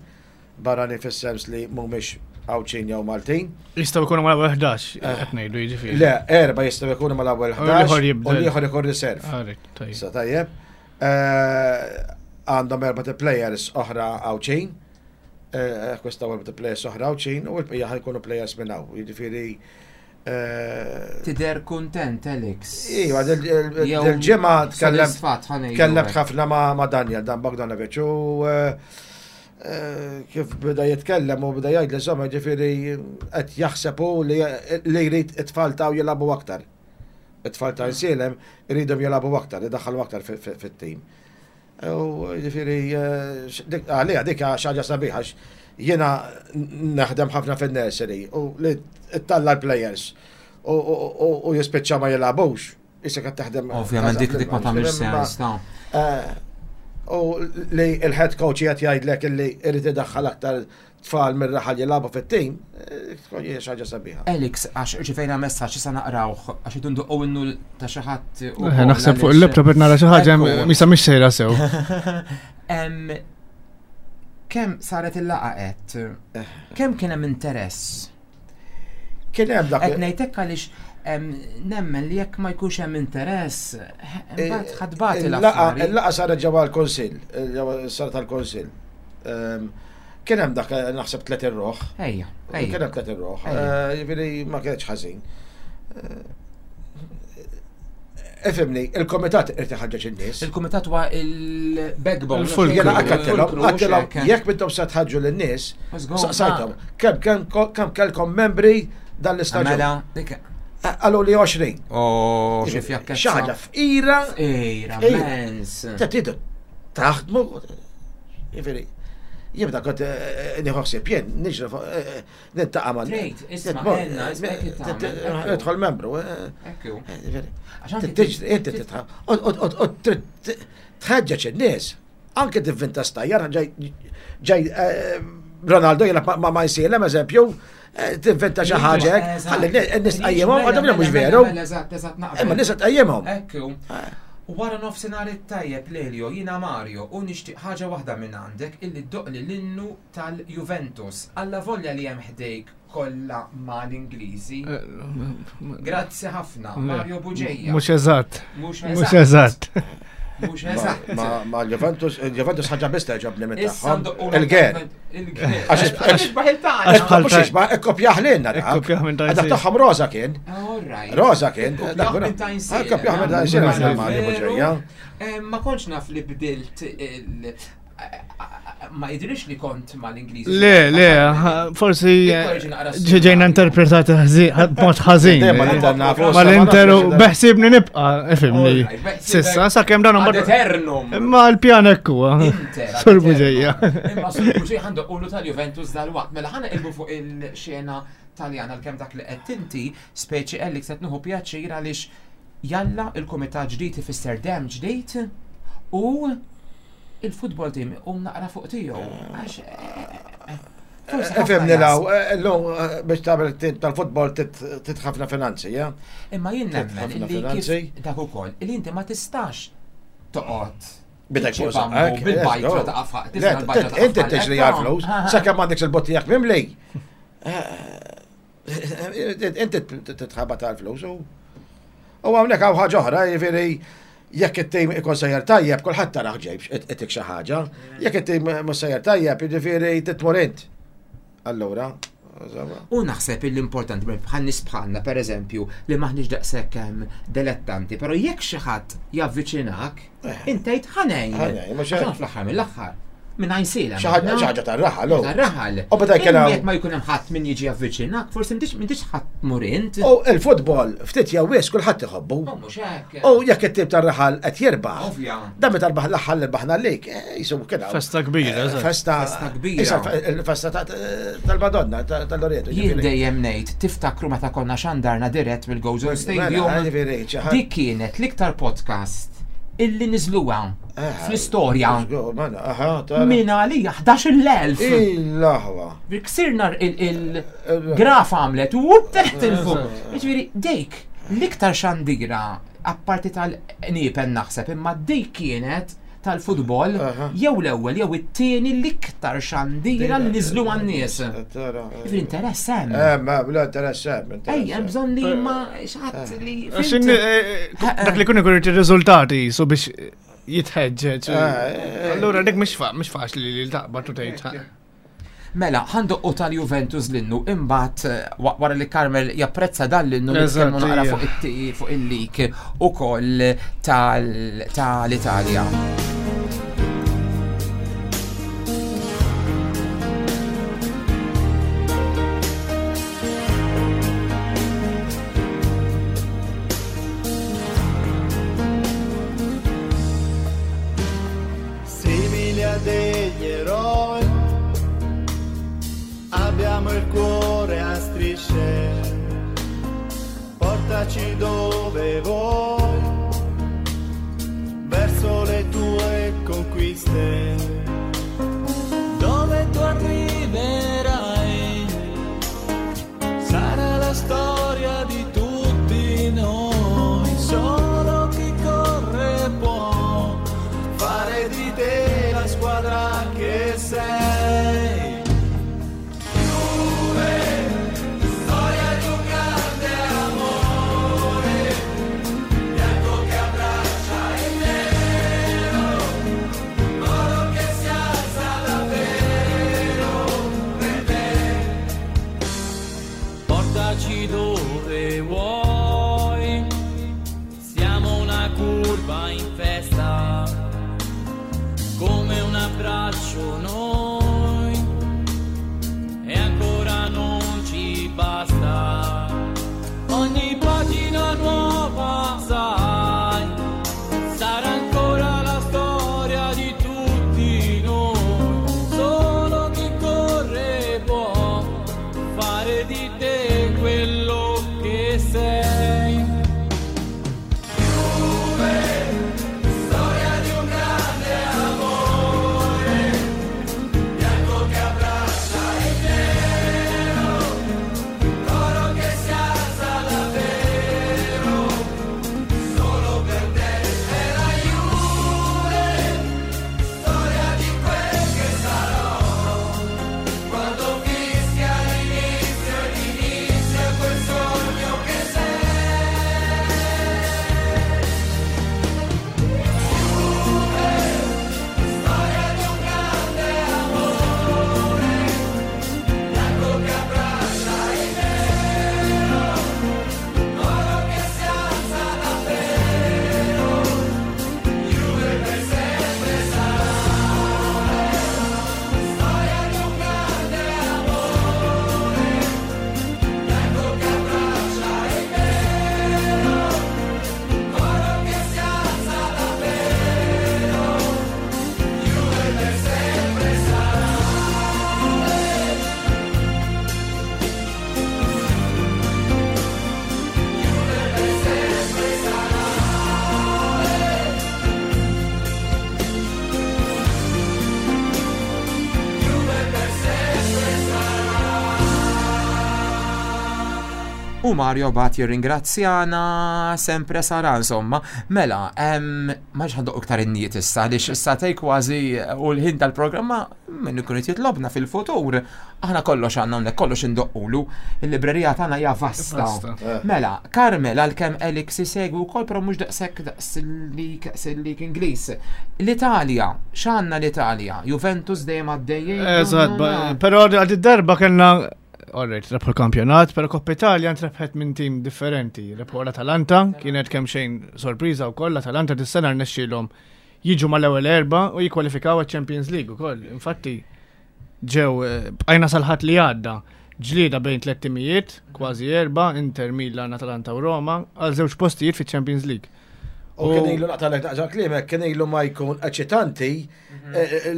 barranin fis-sens li mhumiex Għawdxin jew Maltin. Jistgħu jkunu mal-ewwel ħdax qed ngħidu jiġifieri. Le, erba jistgħu jkunu mal-ewwel U l-ieħor ħdax u jibdel. l-ieħor ikun reserve. Alright, tajjeb. Issa tajjeb. Eh, Għandhom erba ta' players oħra Għawdxin. Eh, Akkwistaw erba ta' players oħra Għawdxin u l-bqija ħa jkunu players minn hawn. Jiġifieri eh, Tidher kuntent, Alex. Iva, Jew dil-ġimgħa tkellem sodisfatt, ħa ngħidu tkellemt hekk. ħafna ma' ma' Daniel Dan Bogdanovic u eh, eh, kif beda jitkellem u beda jgħid li insomma ġifieri qed jaħseb hu li li jrid it-tfal taw jilagħbu aktar. It-tfal ta' Għajnsielem iridhom jilagħbu aktar, idaħħalu aktar fi- fi- fit-tim. U ġifieri eh, dik- għalija dik xi ħaġa sabiħa għax jiena naħdem ħafna fin-nursery u li ttella' l-players u- u u- u jispiċċa ma jilagħbux. Issa qed taħdem. Ovvjament dik dik ma tagħmilx sens, ta' Eh, U li il-head coach qed jgħidlek illi irid idaħħal aktar tfal mir-raħal jilagħbu fit-tim, eh, tkun hija xi ħaġa sabiħa. Alex, għax rċivejna messaġġ issa naqrawh, għax idu nduqqu innu ta' xi ħadd ukoll Eh, Naħseb fuq għaliex- il-laptop qed nara xi ħaġa Ekku. misa mhix sejra sew. Em, Kemm saret il-laqgħa qed? Kemm kien hemm interess? Kien hemm dak Qed ngħidlek għaliex em, nemmen li jekk ma jkunx hemm interess, eh, imbagħad ħadbati Il-laqa l-affari. il-laqa saret ġewwa l-Kunsill, ġewwa saret tal-Kunsill. Ehm, Kien hemm dak eh, naħseb tliet irruħ. Ejja, Kien ejja. hemm tliet irruħ. Ejja. Eh, Jiġifieri ma kienx ħażin. Eh, Ifhimni, il-komitat irid iħaġġeġ in-nies. Il-kumitat huwa il-backbone. Il-fulcrum. Jena għattilhom, għattilhom, hekk. jekk mintom se tħaġġu lin-nies, Let's go. saqsajthom, kemm kemm kemm kellkom membri dan l-istaġun. Mela, dik. Qalu li għoxrin. Oh, xi fjakkezza. Xi ħaġa fqira, Ejra, Ejra. mens. ta' tridu taħdmu. Jiġifieri, jibda kont eh, nieħu ħsieb jien, niġri fuq, eh, eh, nintaqa' ma' Trid, isma' nitmur, enna, isma' hekk eh, tagħmel, ekku. Nidħol membru. eh, Ekku. eh, jiġifieri. Għax anki Tiġri, inti titħa. U trid tħeġġeġ in-nies. Anke tivvinta stajjar ġej ġej eh, Ronaldo jilgħab ma' ma jsielem eżempju, eh, tinventa xi ħaġa hekk, ħalli n-nies tqajjimhom, għadhom mhux veru. Eżatt, eżatt, naqbel. Imma n-nies tqajjimhom. Ekku. Wara nofsinhar it-tajjeb Lelio, jiena Mario u nixtieq ħaġa waħda minn għandek illi ddoqli l-innu tal-Juventus. Alla volja li hemm ħdejk kollha mal-Ingliżi. Grazzi ħafna, Mario Buġeja. Mhux eżatt. Mhux Mhux eżatt. Mhux eżatt. Ma ma l-Juventus, il-Juventus ħaġa biss teġobni minn Issa tagħhom. ndoqqu Il-ger. Il-ger. Għax- Għax isbaħ il-tagħna. Għax bħal Mhux ta' jisma' ikkopjah lilna dak. Ikkopjah minn Dak Tajn tagħhom Rosa kien. All right. Rosa kien. Ikkopjah minn Tajn Sena. Ikkopjah minn Tajn Sena, Mela, Mario veru. Buġeja. Eh, Ma kontx naf li bdilt il- ma jidrix li kont mal-Ingliżi. Le, le, ha- forsi Ikkorġi naqra s- ġejna interpretati ħażin- b'mod ħażin. Dejjem mal-Inter nafu, Mal-Inter u sa ma nafx. beħsibni nibqa, ifimni. All right, beħsibek- Sissa, sakemm dan Ad imbagħad- eternum. Imma l-pjan hekk huwa. Inter. ad Sur eternum. Buġeja. Imma Sur Buġeja għandu qulu tal-Juventus dal-waqt. Mela ħana ilbu fuq il-xena Taljana għalkemm dak li qed inti, speċi Alex qed nieħu pjaċir għaliex jalla il-kumitat ġdid ifisser dem ġdid u il-futbol team um naqra fuq tiegħu. Għax eh, eh, forsi ħafna Ifhimni law, jaħsbu- illum eh, biex tagħmel tim tal-futbol titħafna finanzi, ja? Imma jien nemmen ħafna illi finanzi. kif dak ukoll illi inti ma tistax toqgħod Bidek tiċċi fuq bambu saqajk, bil-bajtra let's go. ta' qafaq, Le, tisna l-bajtra ta' Inti qafaq. tiġri għal-flus, Ah, ah. sakemm m'għandekx il-bottijak mimli. Eh, Inti titħabat għal-flus u u hawnhekk hawn ħaġa oħra, jiġifieri jekk it-tim ikun sejjer tajjeb, kulħadd taraħ ġejb itik xi ħaġa. Jekk it-tim mhux sejjer tajjeb, jiġifieri titmur int. Allura, insomma. U naħseb li importanti bħal nies bħalna per eżempju li maħniex daqshekk hemm dilettanti, però jekk xi ħadd javviċinak, inti tgħid ħanejn. Ħanejn, mhux hekk. Għax fl-aħħar mill-aħħar. Minn għajn Xi ħaġa xi ħaġa tar-raħal. u. Tar-raħal. U meta jkun hawn- Jekk ma jkun hemm ħadd min jiġi javviċinak, forsi m'intix m'intix ħadd tmur int. U il-futbol ftit jew wis kulħadd iħobbu. U mhux hekk. U jekk it-tim tar-raħal qed jirbaħ. Ovvja. Dan meta rbaħ l-aħħar li rbaħna lik, eh, jisu kien hawn. Festa kbira, eżatt. Festa Festa kbira. Issa il-festa ta- tal-Madonna, ta- tal-Loreto. Jien dejjem ngħid tiftakru meta konna xandarna dirett mill-Gozo Stadium. Mela, ġifieri, xi ħadd- Dik kienet l-iktar podcast illi niżluha Eh, fl-istorja. Mela, aha, tara. Min għalija ħdax-il elf. Il-laħwa. Ksirna il-graf għamlet u teħt il-fuq. Ġifieri, dik l-iktar xandira apparti tal-nipen naħseb, imma dik kienet tal-futbol Aha. jew l-ewwel jew it-tieni l-iktar xandira li niżlu għan-nies. Tara. Ġifieri interess hemm. Eh, ma, bla interess hemm. Ej, hemm bżonn li ma xi li. Għax fhimt? in- eh, Dak li kun ikun irid ir-riżultati so biex jitħeġġeġ. Eh, Allura dik mhix fa- mhix faċli li taqbad u tgħid. Mela, ħandoqqu tal-Juventus l-innu, imbagħad eh, wa- wara li Carmel japprezza dan l-innu Eżatt, nitkellmu naqra ija. fuq it- fuq il-lik ukoll tal- tal-Italja. Simili a degli eroi, abbiamo il cuore a strisce, portaci dove vuoi, verso le tue conquiste. Dove tu arriverai sarà la storia di tutti noi, solo chi corre può Fare di te la squadra che sei. Storia di un grande amore, bianco che abbraccia il nero, oro che si alza davvero per te. Portaci dove vuoi, siamo una curva in festa, come un abbraccio noi e ancora non ci basta. Ogni pagina nuova, sai, sarà ancora la storia di tutti noi. Solo chi corre può fare di te quello che sei. Storia di un grande amore, Mario bat jirringrazzjana sempre sara insomma. Mela, em, ma ħandoq iktar innijiet issa għaliex issa tej kważi u l-ħin tal-programma minn ikun qed jitlobna fil-futur. Aħna kollox għandna hawnhekk kollox indoqqulu. Il-librerija tagħna hija vasta. Vasta. Mela, Carmel għalkemm Alex isegwi wkoll però mhux daqshekk daqs il-lig il-lig Ingliż. L-Italja, x'għandna l-Italja? Juventus dejjem għaddejjin. Eżatt, ba- però għad darba kellna Alright, rebħu l-kampjonat, pero Coppa Italia ntrebħet minn tim differenti. Rebħu l-Atalanta, kienet kemm xejn sorpriża wkoll, l-Atalanta dis-sena rnexxielhom jiġu mal-ewwel erba u jikkwalifikaw għaċ-Champions League ukoll. Infatti ġew eh, bqajna sal-Ħadd li għadda ġlieda bejn tliet timijiet, kważi erba, Inter, Milan, Atalanta u Roma, għal żewġ postijiet fiċ-Champions League. U kien ilu naqtalek naqġa kliemek, kien ilu ma jkun eċitanti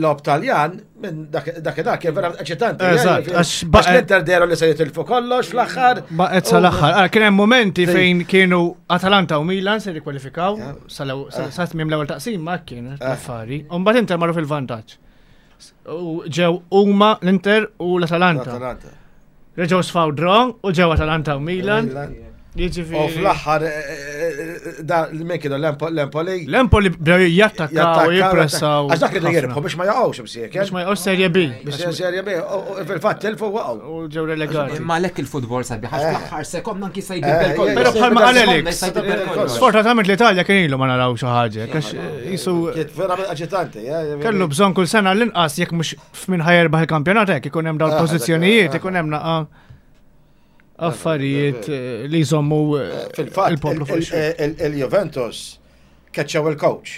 logħob Taljan, minn dak dak kien vera eċitanti. Eżatt, għax għax baqgħet- l-Inter dehru li se jitilfu kollox fl-aħħar. Baqgħet sal-aħħar. Ara, kien hemm momenti fejn kienu Atalanta u Milan se jikkwalifikaw sa tmiem l-ewwel taqsim ma kien affari. U mbagħad Inter marru fil-vantaġġ. U ġew huma l-Inter u l-Atalanta. Atalanta. Reġgħu sfaw draw u ġew Atalanta u Milan. U Jiġifieri. fl-aħħar eh, da min kienu l-Empoli. L-Empoli bdew jattakkaw u jippressaw. Għax dak kienu jirbħu biex ma jaqgħux bsiek. Biex ma jaqgħux Serie B. Biex Serie B. u Fil-fatt tilfu waqgħu. U ġew relegati. Imma lek il-futbol sabiħ, għax fl-aħħar sekonda anki se Eh, jbiddel kollox. Però bħalma qal Alex, Jista' jbiddel kollox. Sfortunatament l-Italja kien ilu ma naraw xi ħaġa, għax jisu Kienet vera eċitanti. eh, kellu bżonn kull sena l-inqas jekk mhux f'min ħa jerbaħ il-kampjonat hekk ikun hemm dawn Ah, pożizzjonijiet, dak- ikun hemm naqa affarijiet eh, li jżommu eh, Fil-fatt, il-poplu fuq ix il- il- il-Juventus keċċew il-coach.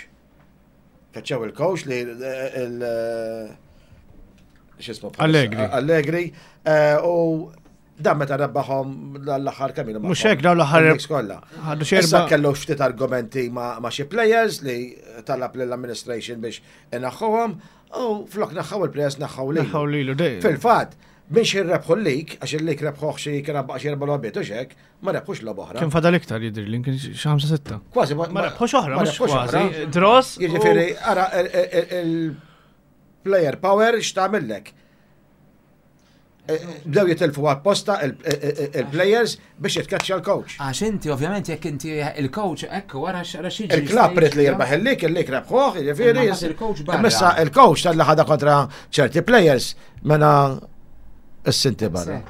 Keċċew il-coach li il- x'ismu bħalissa? Allegri. Allegri. eh, U dan meta rebbaħhom l-aħħar kemm ilu Mhux magħhom. hekk, dawn l-aħħar- Il-Leagues kollha. Ħadu xi Issa erba' kellu ftit argumenti ma' ma' xi players li talab lill-administration biex inaħħuhom u flok naħħaw il-players naħħaw lilu. Naħħaw lilu dejjem. Fil-fatt, biex jirrebħu l-lig, għax il-lig rebħuh xi kien baqa' xi erba' logħbiet u xek, ma rebħux logħba oħra. Kien fadal iktar jidher li kien xi ħamsa sitta. Kważi ma Ma rebħux oħra, ma mhux rebħux kważi. oħra. Draws. u- Jiġifieri, ara il- il- il-player power x'tagħmillek. Eh, Bdew jitilfu apposta il- il- il-players biex jitkaċċja l-coach. Għax inti ovvjament jekk inti il-coach ekku wara xara xi Il-klab ried li jirbaħ il-lig, il-lig rebħuh, jiġifieri. Imma mbagħad il-coach barra. Imma il-coach tal-li ħada kontra ċerti players mena s-sinti barra.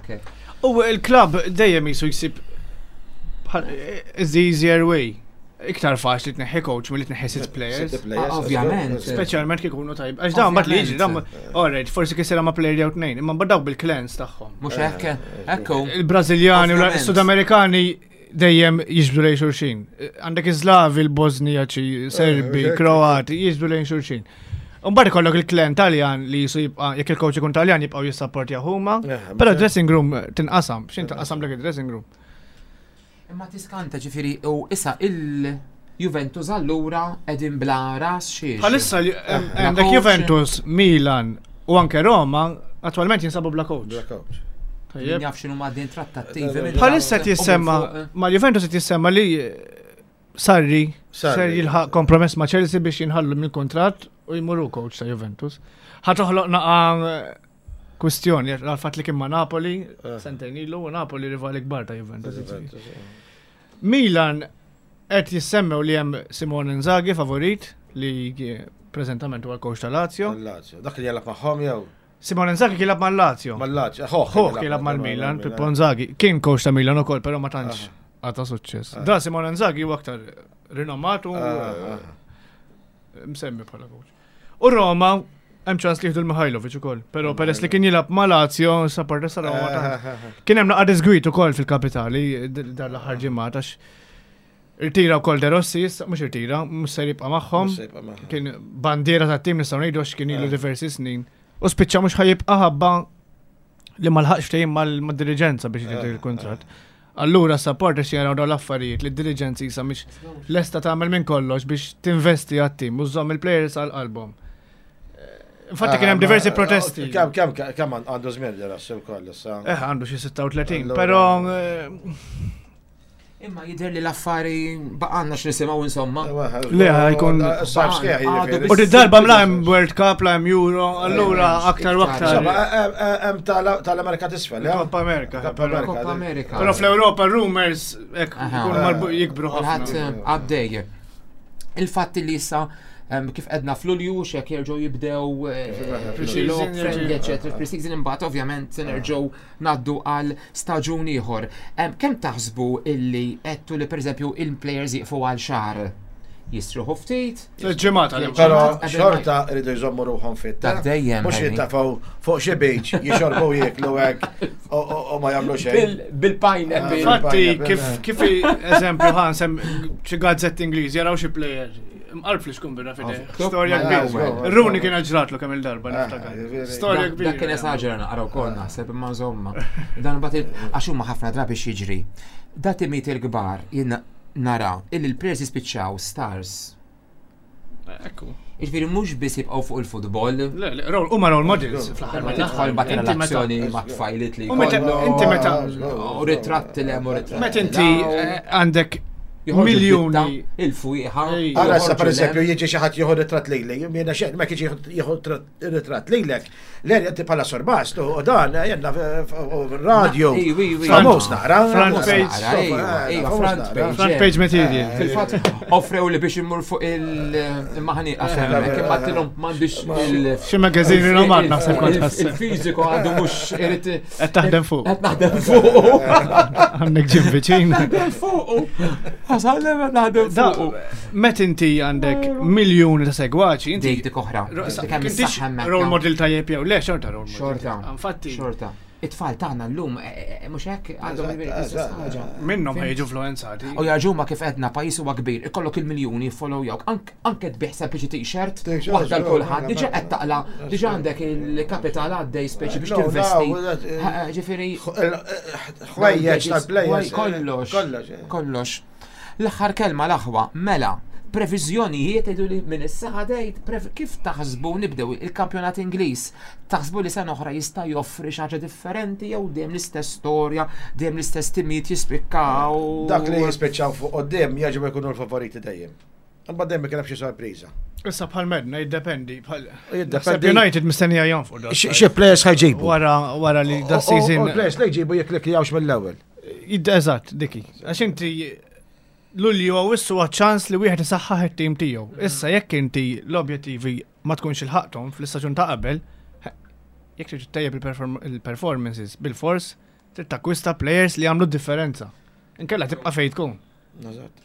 U il-klab dejjem jisu jsib bħal- is the easier way. Iktar faċli tneħħi coach milli tneħħi sitt players. Sitt players, Ah, ovvjament. Speċjalment kif ikunu tajb. Għax dawn mbagħad li jiġri dawn alright, forsi kisira ma' player jew tnejn, imma mbagħad dawk bil-clans tagħhom. Mhux hekk, ekku. Il-Brażiljani u Ovvjament. l-Sudamerikani dejjem jiġbdu lejn xulxin. Għandek iż-Slavi, il-Bosnijaċi, Serbi, Eh, Kroati, jiġbdu lejn xulxin. Mbagħad ikollok il-klan Taljan li jisu jibqa' jekk il-coach ikun Taljan jibqgħu jissapportja huma, Eh, però dressing room tinqasam, x'in tinqasam dak id-dressing room. Imma tiskanta ġifieri u issa il-Juventus allura qegħdin bla ras xiex. Bħalissa li- Bla għandek coach. Juventus, Milan u anke Roma attualment jinsabu bla coach. Bla coach. Tajjeb. Min jaf x'inhu ma' din trattattivi. minn Bħalissa qed u minn jissemma, fuq. ma' Juventus qed jissemma li eh, Sarri Sarri. ser jilħaq kompromess ma' Chelsea biex jinħallu mill-kuntratt u jmurru coach ta' Juventus. Ħa toħloq naqa eh, kwistjoni għal fatt li kien ma' Napoli, sentejn ilu, u Napoli rivali kbar ta' Juventus. Milan qed jissemmew li hemm Simone Inzaghi favorit li preżentament huwa l-coach ta' Lazio. Lazio. Dak li jalab magħhom jew Simone Inzaghi kien jilgħab mal-Lazio. mal-Lazio. Hoħ Hoħ kien jilgħab mal-Milan, Pippo Inzaghi. Kien coach ta' Milan ukoll, però ma tantx għata suċċess. Da Simone Inzaghi huwa aktar rinomat u eh, msemmi bħala coach. U Roma hemm ċans li jieħdu l-Mihajlovic ukoll, però peress li kien jilgħab ma' Lazio, supporters ta' Roma tantx. Kien hemm naqa' disgwit ukoll fil-kapitali d- dan l-aħħar ġimgħat għax irtira wkoll De Rossi, issa mhux irtira, mhux se jibqa' magħhom. Kien bandiera tat-tim nistgħu ngħidu għax kien ilu diversi snin. U spiċċa mhux ħa jibqa' ħabba li ma lħaqx ftehim mal-diriġenza biex jidher il-kuntratt. Allura supporters jaraw dawn l-affarijiet li d-diriġenza jisa mhix lesta tagħmel minn kollox biex tinvesti għat-tim u żżomm il-players għal qalbhom. Infatti kien hemm diversi protesti. Kemm kemm kemm għandu żmien li rassu wkoll issa. Eh, għandu xi sitta u tletin, Allura- però eh, Imma jidher li l-affari baqgħalna x'nisimgħu insomma. Le, ħajkun- Sajf sħiħ, Għadu jiġifieri. U di darba mla hemm World Cup, la hemm Euro, allura aktar u aktar. Insomma, hemm- hemm tal- tal-Amerika t'isfel, eh? Coppa America. Coppa però- America. Coppa America. Però fl-Europa rumors hekk Aha. ikunu marbu- jikbru Kulħadd ħafna. għaddej. Il-fatt li issa em, kif edna f'Lulju xek jerġgħu jibdew eh, Pre-season, logħob friendly, jerġgħu- eccetera, pre-season imbagħad ovvjament se nerġgħu ngħaddu għal staġun ieħor. Em, Kemm taħsbu illi għedtu li pereżempju il-players jiqfu għal xahar? Jistruħu ftit? Ġimgħat għal Però Qabel xorta rridu jżommu ruħhom fit. Dak dejjem, Mhux Henry. jittafgħu fuq xi beach, jixorbu jieklu hekk u- u u ma jagħmlu xejn. Bil- Bil-pineapple. Infatti, Pineapple, kif eh. kif eżempju ħan sem xi gazzetti Ingliżi jaraw xi player. Mqarf li xkun birra fideh. Of- Storja Mela, kbira. żgur. Rooney kien ġratlu kemm il-darba Ah, niftakar. jiġifieri. Storja Dak- kbira. Dak kien esaġera naqra wkoll naħseb imma insomma. Dan mbagħad il- għax huma ħafna drabi x'jiġri. Da timiet il-kbar jien nara illi l-players jispiċċaw stars. Ekku. Jiġifieri mhux biss jibqgħu fuq il-futbol. Le, le, role- huma role models fl-aħħar. Ma tidħol mbagħad Inti meta- relazzjoni ma' tfajlit li U meta- jkollhom, inti meta- u ritratti le u ritratti. Meta inti eh, għandek Joħorġu miljuni. d-ditta, Il-fwieħa. Ej. Ara issa joħorġu per eżempju lem. jiġi xi ħadd jieħu ritratt lejli, jiena xejn ma jiġi jieħu ritratt lilek. Le inti bħala sorbast u dan jenna radio. Ej, wi, wi. Famuż naqra. Front famuż page. naqra, Ejwa, eh, ejwa, famuż front naqra. page. Front page material. Fil-fatt, offrew li biex immur fuq il-maħani għafemmek, imma għedtilhom m'għandix il- Xi magazine rinomat naħseb kont ħasseb. Il-fiżiku għadu mhux irid. Qed taħdem fuq. Qed naħdem fuq. Għandek ġim viċin. Naħdem fuq. Għasallem qed naħdem Da, fuq. met inti għandek miljuni ta' segwaċi, inti Dik dik oħra. Dik hemm Intix is-saħħa hemmhekk. role model tajjeb jew le, xorta role model. Xorta. Infatti, Xorta. It-tfal tagħna llum eh, eh, mhux hekk għandhom Eżatt, l-istess eżatt. ħaġa. minnhom ħejġu influenzati. U jarġuma kif edna pajis huwa kbir, ikollok il-miljuni follow jawk, anke tbieħ sempliċi t-shirt, T-shirt, waħda żgur, l-kulħadd, diġà mela, qed taqla, diġà għandek il-kapital għaddej speċi biex No, tinvesti. no, that, eh, Ha, Ġifieri, Ħwejjeġ tal-players. Kollox. Kollox. eh. Kollox. L-aħħar kelma l-aħwa, mela, previżjonijiet idu li minn issa ħadejt, prev- kif taħsbu nibdew il-kampjonat Ingliż? Taħsbu li sena oħra jista' joffri xi ħaġa differenti jew dejjem l-istess storja, dejjem l-istess timijiet jispikkaw? Dak li jispiċċaw fuq qoddim jaġib ikunu l-favoriti dejjem. Imbagħad dejjem ikun hemm xi sorpriża. Issa bħal medna jiddependi. bħal- Jiddependi- Naħseb United mistennija jonfqu da. Xi players ħajġibu? Wara wara li da U season. players li jġibu jekk li jawx mill-ewwel. Jid- Eżatt, diki. Għax inti Lulju għawissu ċans li wieħed isaħħaħ it-tim tiegħu. Issa jekk inti l-objettivi ma tkunx il-ħaqtom fl-istaġun ta' qabel, jekk trid tejjeb il-perform- il-performances bil-fors, trid takkwista players li jagħmlu differenza. Inkella tibqa' fejn tkun. Eżatt.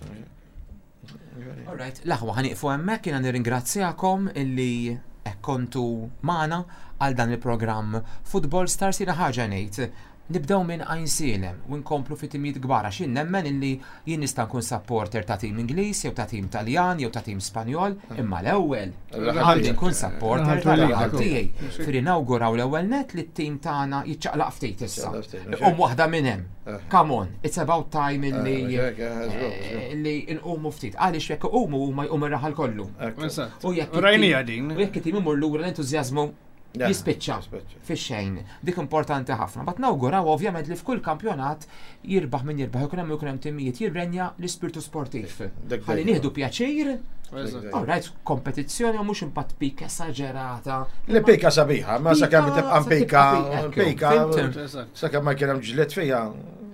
Alright, l-aħwa ħaniqfu hemmhekk jiena nirringrazzjakom illi hekk kontu magħna għal dan il-programm Football Stars jiena ħaġa ngħid. Nibdew minn Għajnsielem u nkomplu fi timijiet kbar għax jien nemmen illi jien nista' nkun supporter ta' tim Ingliż jew ta' tim Taljan jew ta' tim Spanjol, imma l-ewwel għandi nkun supporter tal-raħal tiegħi. Firri nawguraw l-ewwel net li t-tim tagħna jiċċaqlaq ftit issa. Jiċċaqlaq ftit, Um waħda minn hemm. Come on, it's about time illi Eh, eh, eh, li nqumu ftit. Għaliex jekk iqumu huma jqum ir-raħal kollu. Eżatt. U jekk Rajnija it-tim- din. U jekk it-tim imur lura l-entużjażmu Ja, jispiċċa jispiċċa. fix-xejn. Dik importanti ħafna. But nawguraw ovvjament li f'kull kampjonat jirbaħ min jirbaħ, ikun hemm ikun hemm timijiet jirrenja l-ispirtu sportiv. Dak Ħalli dejjem. nieħdu pjaċir, Eżatt. all right, kompetizzjoni u mhux impatt pik esaġerata. Li pika sabiħa, ma sa kemm Pika, tibqa' sa pika, tibqa' pika, pika, ekku, Eżatt. sa kemm ma kien hemm ġlied fija.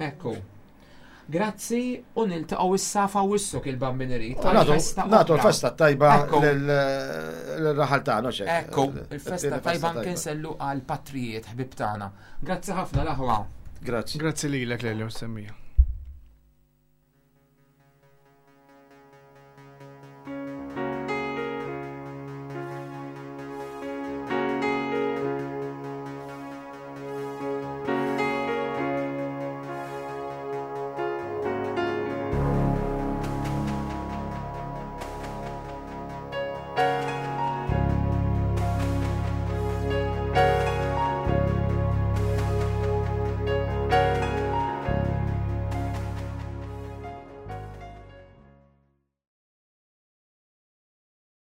Ekku. Grazzi u niltaqgħu issa f'Awwissu il-Bambin irid. Nagħtu nagħtu l-festa tajba Ekku. lil-raħal tagħna xejn. Ekku, il-festa tajba anke nsellu għal patrijiet ħbib tagħna. Grazzi ħafna l-aħwa. Grazzi. Grazzi lilek Lelio semmija.